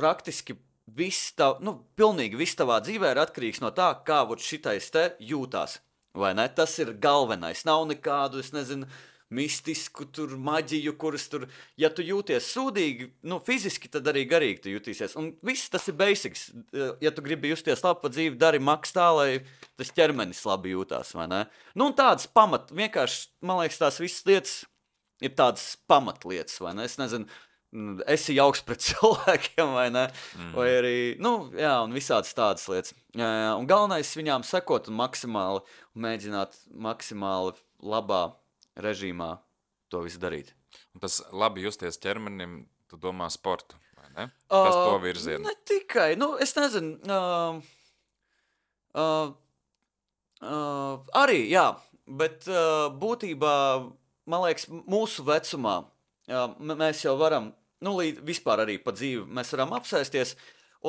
praktiski pilnīgi viss tavā dzīvē ir atkarīgs no tā, kā šitais te jūtās. Vai ne? Tas ir galvenais. Nav nekādu, es nezinu, mistisku tur maģiju, kuras tur, ja tu jūties sūdīgi, fiziski, tad arī garīgi tu jutīsies. Un viss tas ir basics. Ja tu gribi justies labi pa dzīvi, dari maks tā, lai tas ķermenis labi jūtās, vai ne? Un tādas vienkārši, man liekas, tās visas lietas ir tādas pamatlietas, vai ne? Es nezinu, esi jauks pret cilvēkiem, vai ne? Vai arī, un visādas tādas lietas. Un galvenais viņām sekot un mēģināt maksimāli labā režīmā to visu darīt. Un tas labi justies ķermenim, tu domā sportu, vai ne? Tas to virzienu. Ne tikai, es nezinu, arī, jā, bet būtībā, man liekas, mūsu vecumā mēs jau varam, vispār arī pa dzīvi mēs varam apsēsties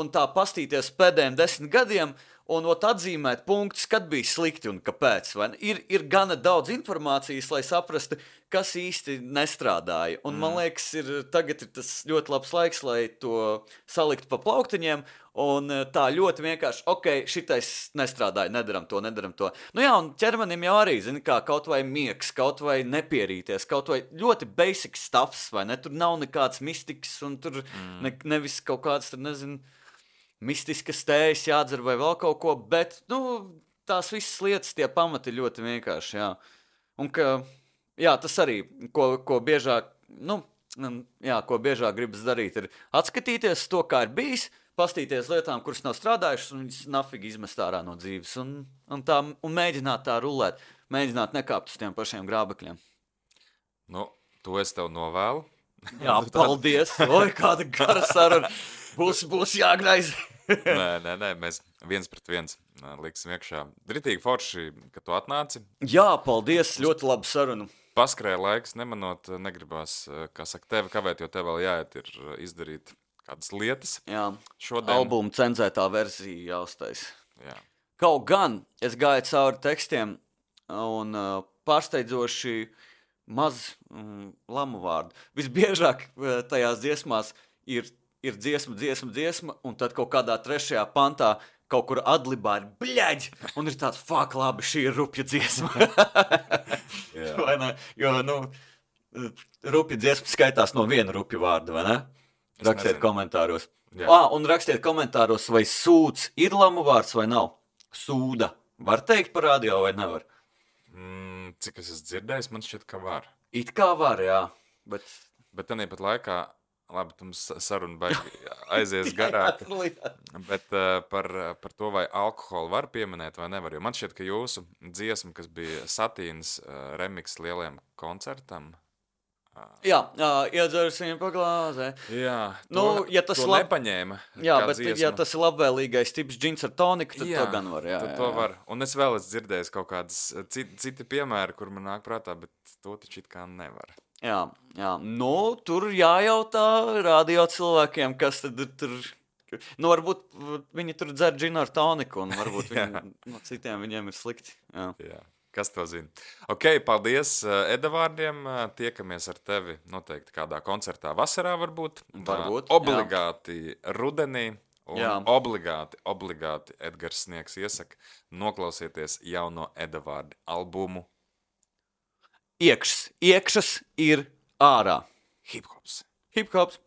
un tā pastīties pēdējiem 10 gadiem un atzīmēt punktus, kad bija slikti un kāpēc. Ir gana daudz informācijas, lai saprastu, kas īsti nestrādāja. Un man liekas, tagad ir tas ļoti labs laiks, lai to saliktu pa plauktiņiem, un tā ļoti vienkārši, šitais nestrādāja, nedaram to. Nu jā, un ķermenim jau arī, zini, kā kaut vai miegs, kaut vai nepierīties, kaut vai ļoti basic stuffs, vai ne? Tur nav nekāds mistiks, un tur nevis kaut kāds, tur nezinu, mistiskas tējas jādzer vai vēl kaut ko, bet, tās visas lietas, tie pamati ir ļoti vienkārši, jā. Un ka, jā, tas arī, ko biežāk, ko biežāk gribas darīt, ir atskatīties to, kā ir bijis, pastīties lietām, kuras nav strādājušas, un viņas nafīgi izmest ārā no dzīves, un mēģināt tā rulēt, mēģināt nekāpt uz tiem pašiem grābekļiem. To es tev novēlu. Jā, paldies! Oi, kāda gara saruna! Būs jāgreiz! Nē, mēs 1-1 liksim iekšā. Dritīgi forši, ka tu atnāci. Jā, paldies, ļoti labu sarunu. Paskrēja laiks, nemanot, negribās, kā saka, tevi kavēt, jo tev vēl jāiet ir izdarīt kādas lietas. Jā, šodien. Albuma cenzētā versija jāuztais. Jā. Kaut gan es gāju cauri tekstiem un pārsteidzoši maz lamu vārdu. Visbiežāk tajās dziesmās ir dziesma, un tad kaut kādā 3. pantā kaut kur adlibā ir bļaģi, un ir tāds, labi, šī ir rupja dziesma. Vai ne? Jo, rupja dziesma skaitās no viena rupja vārda, vai ne? Rakstiet komentāros. Un rakstiet komentāros, vai sūds ir lamu vārds vai nav. Sūda. Var teikt par radio vai nevar? Cik es esmu dzirdējis, man šķiet, ka var. It kā var, jā. Bet tāpat laikā, labi, mums saruna baigi aizies garāk. Bet par to, vai alkoholu var pieminēt vai nevar. Jo man šķiet, ka jūsu dziesma, kas bija Satīnas remix lielajam koncertam, iedzersim pa glāzē. Jā, ja tas nepaņēma. Jā, bet ja tas ir labvēlīgais tips džins ar toniku, tad to gan var. Jā. To var. Un es vēl esmu dzirdējis kaut kādas citi piemēri, kur man nāk prātā, bet to taču it kā nevar. Jā. Tur jājautā radio cilvēkiem, kas tad tur... varbūt viņi tur dzer džinu ar toniku, un varbūt citiem viņiem ir slikti. Jā. Kas to zina? Paldies Edavārdiem. Tiekamies ar tevi noteikti kādā koncertā vasarā varbūt. Obligāti rudenī. Un obligāti Edgars Sniegs iesaka noklausieties jauno Edavārdi albumu. Iekšas ir ārā. Hip-hops. Hip-hops.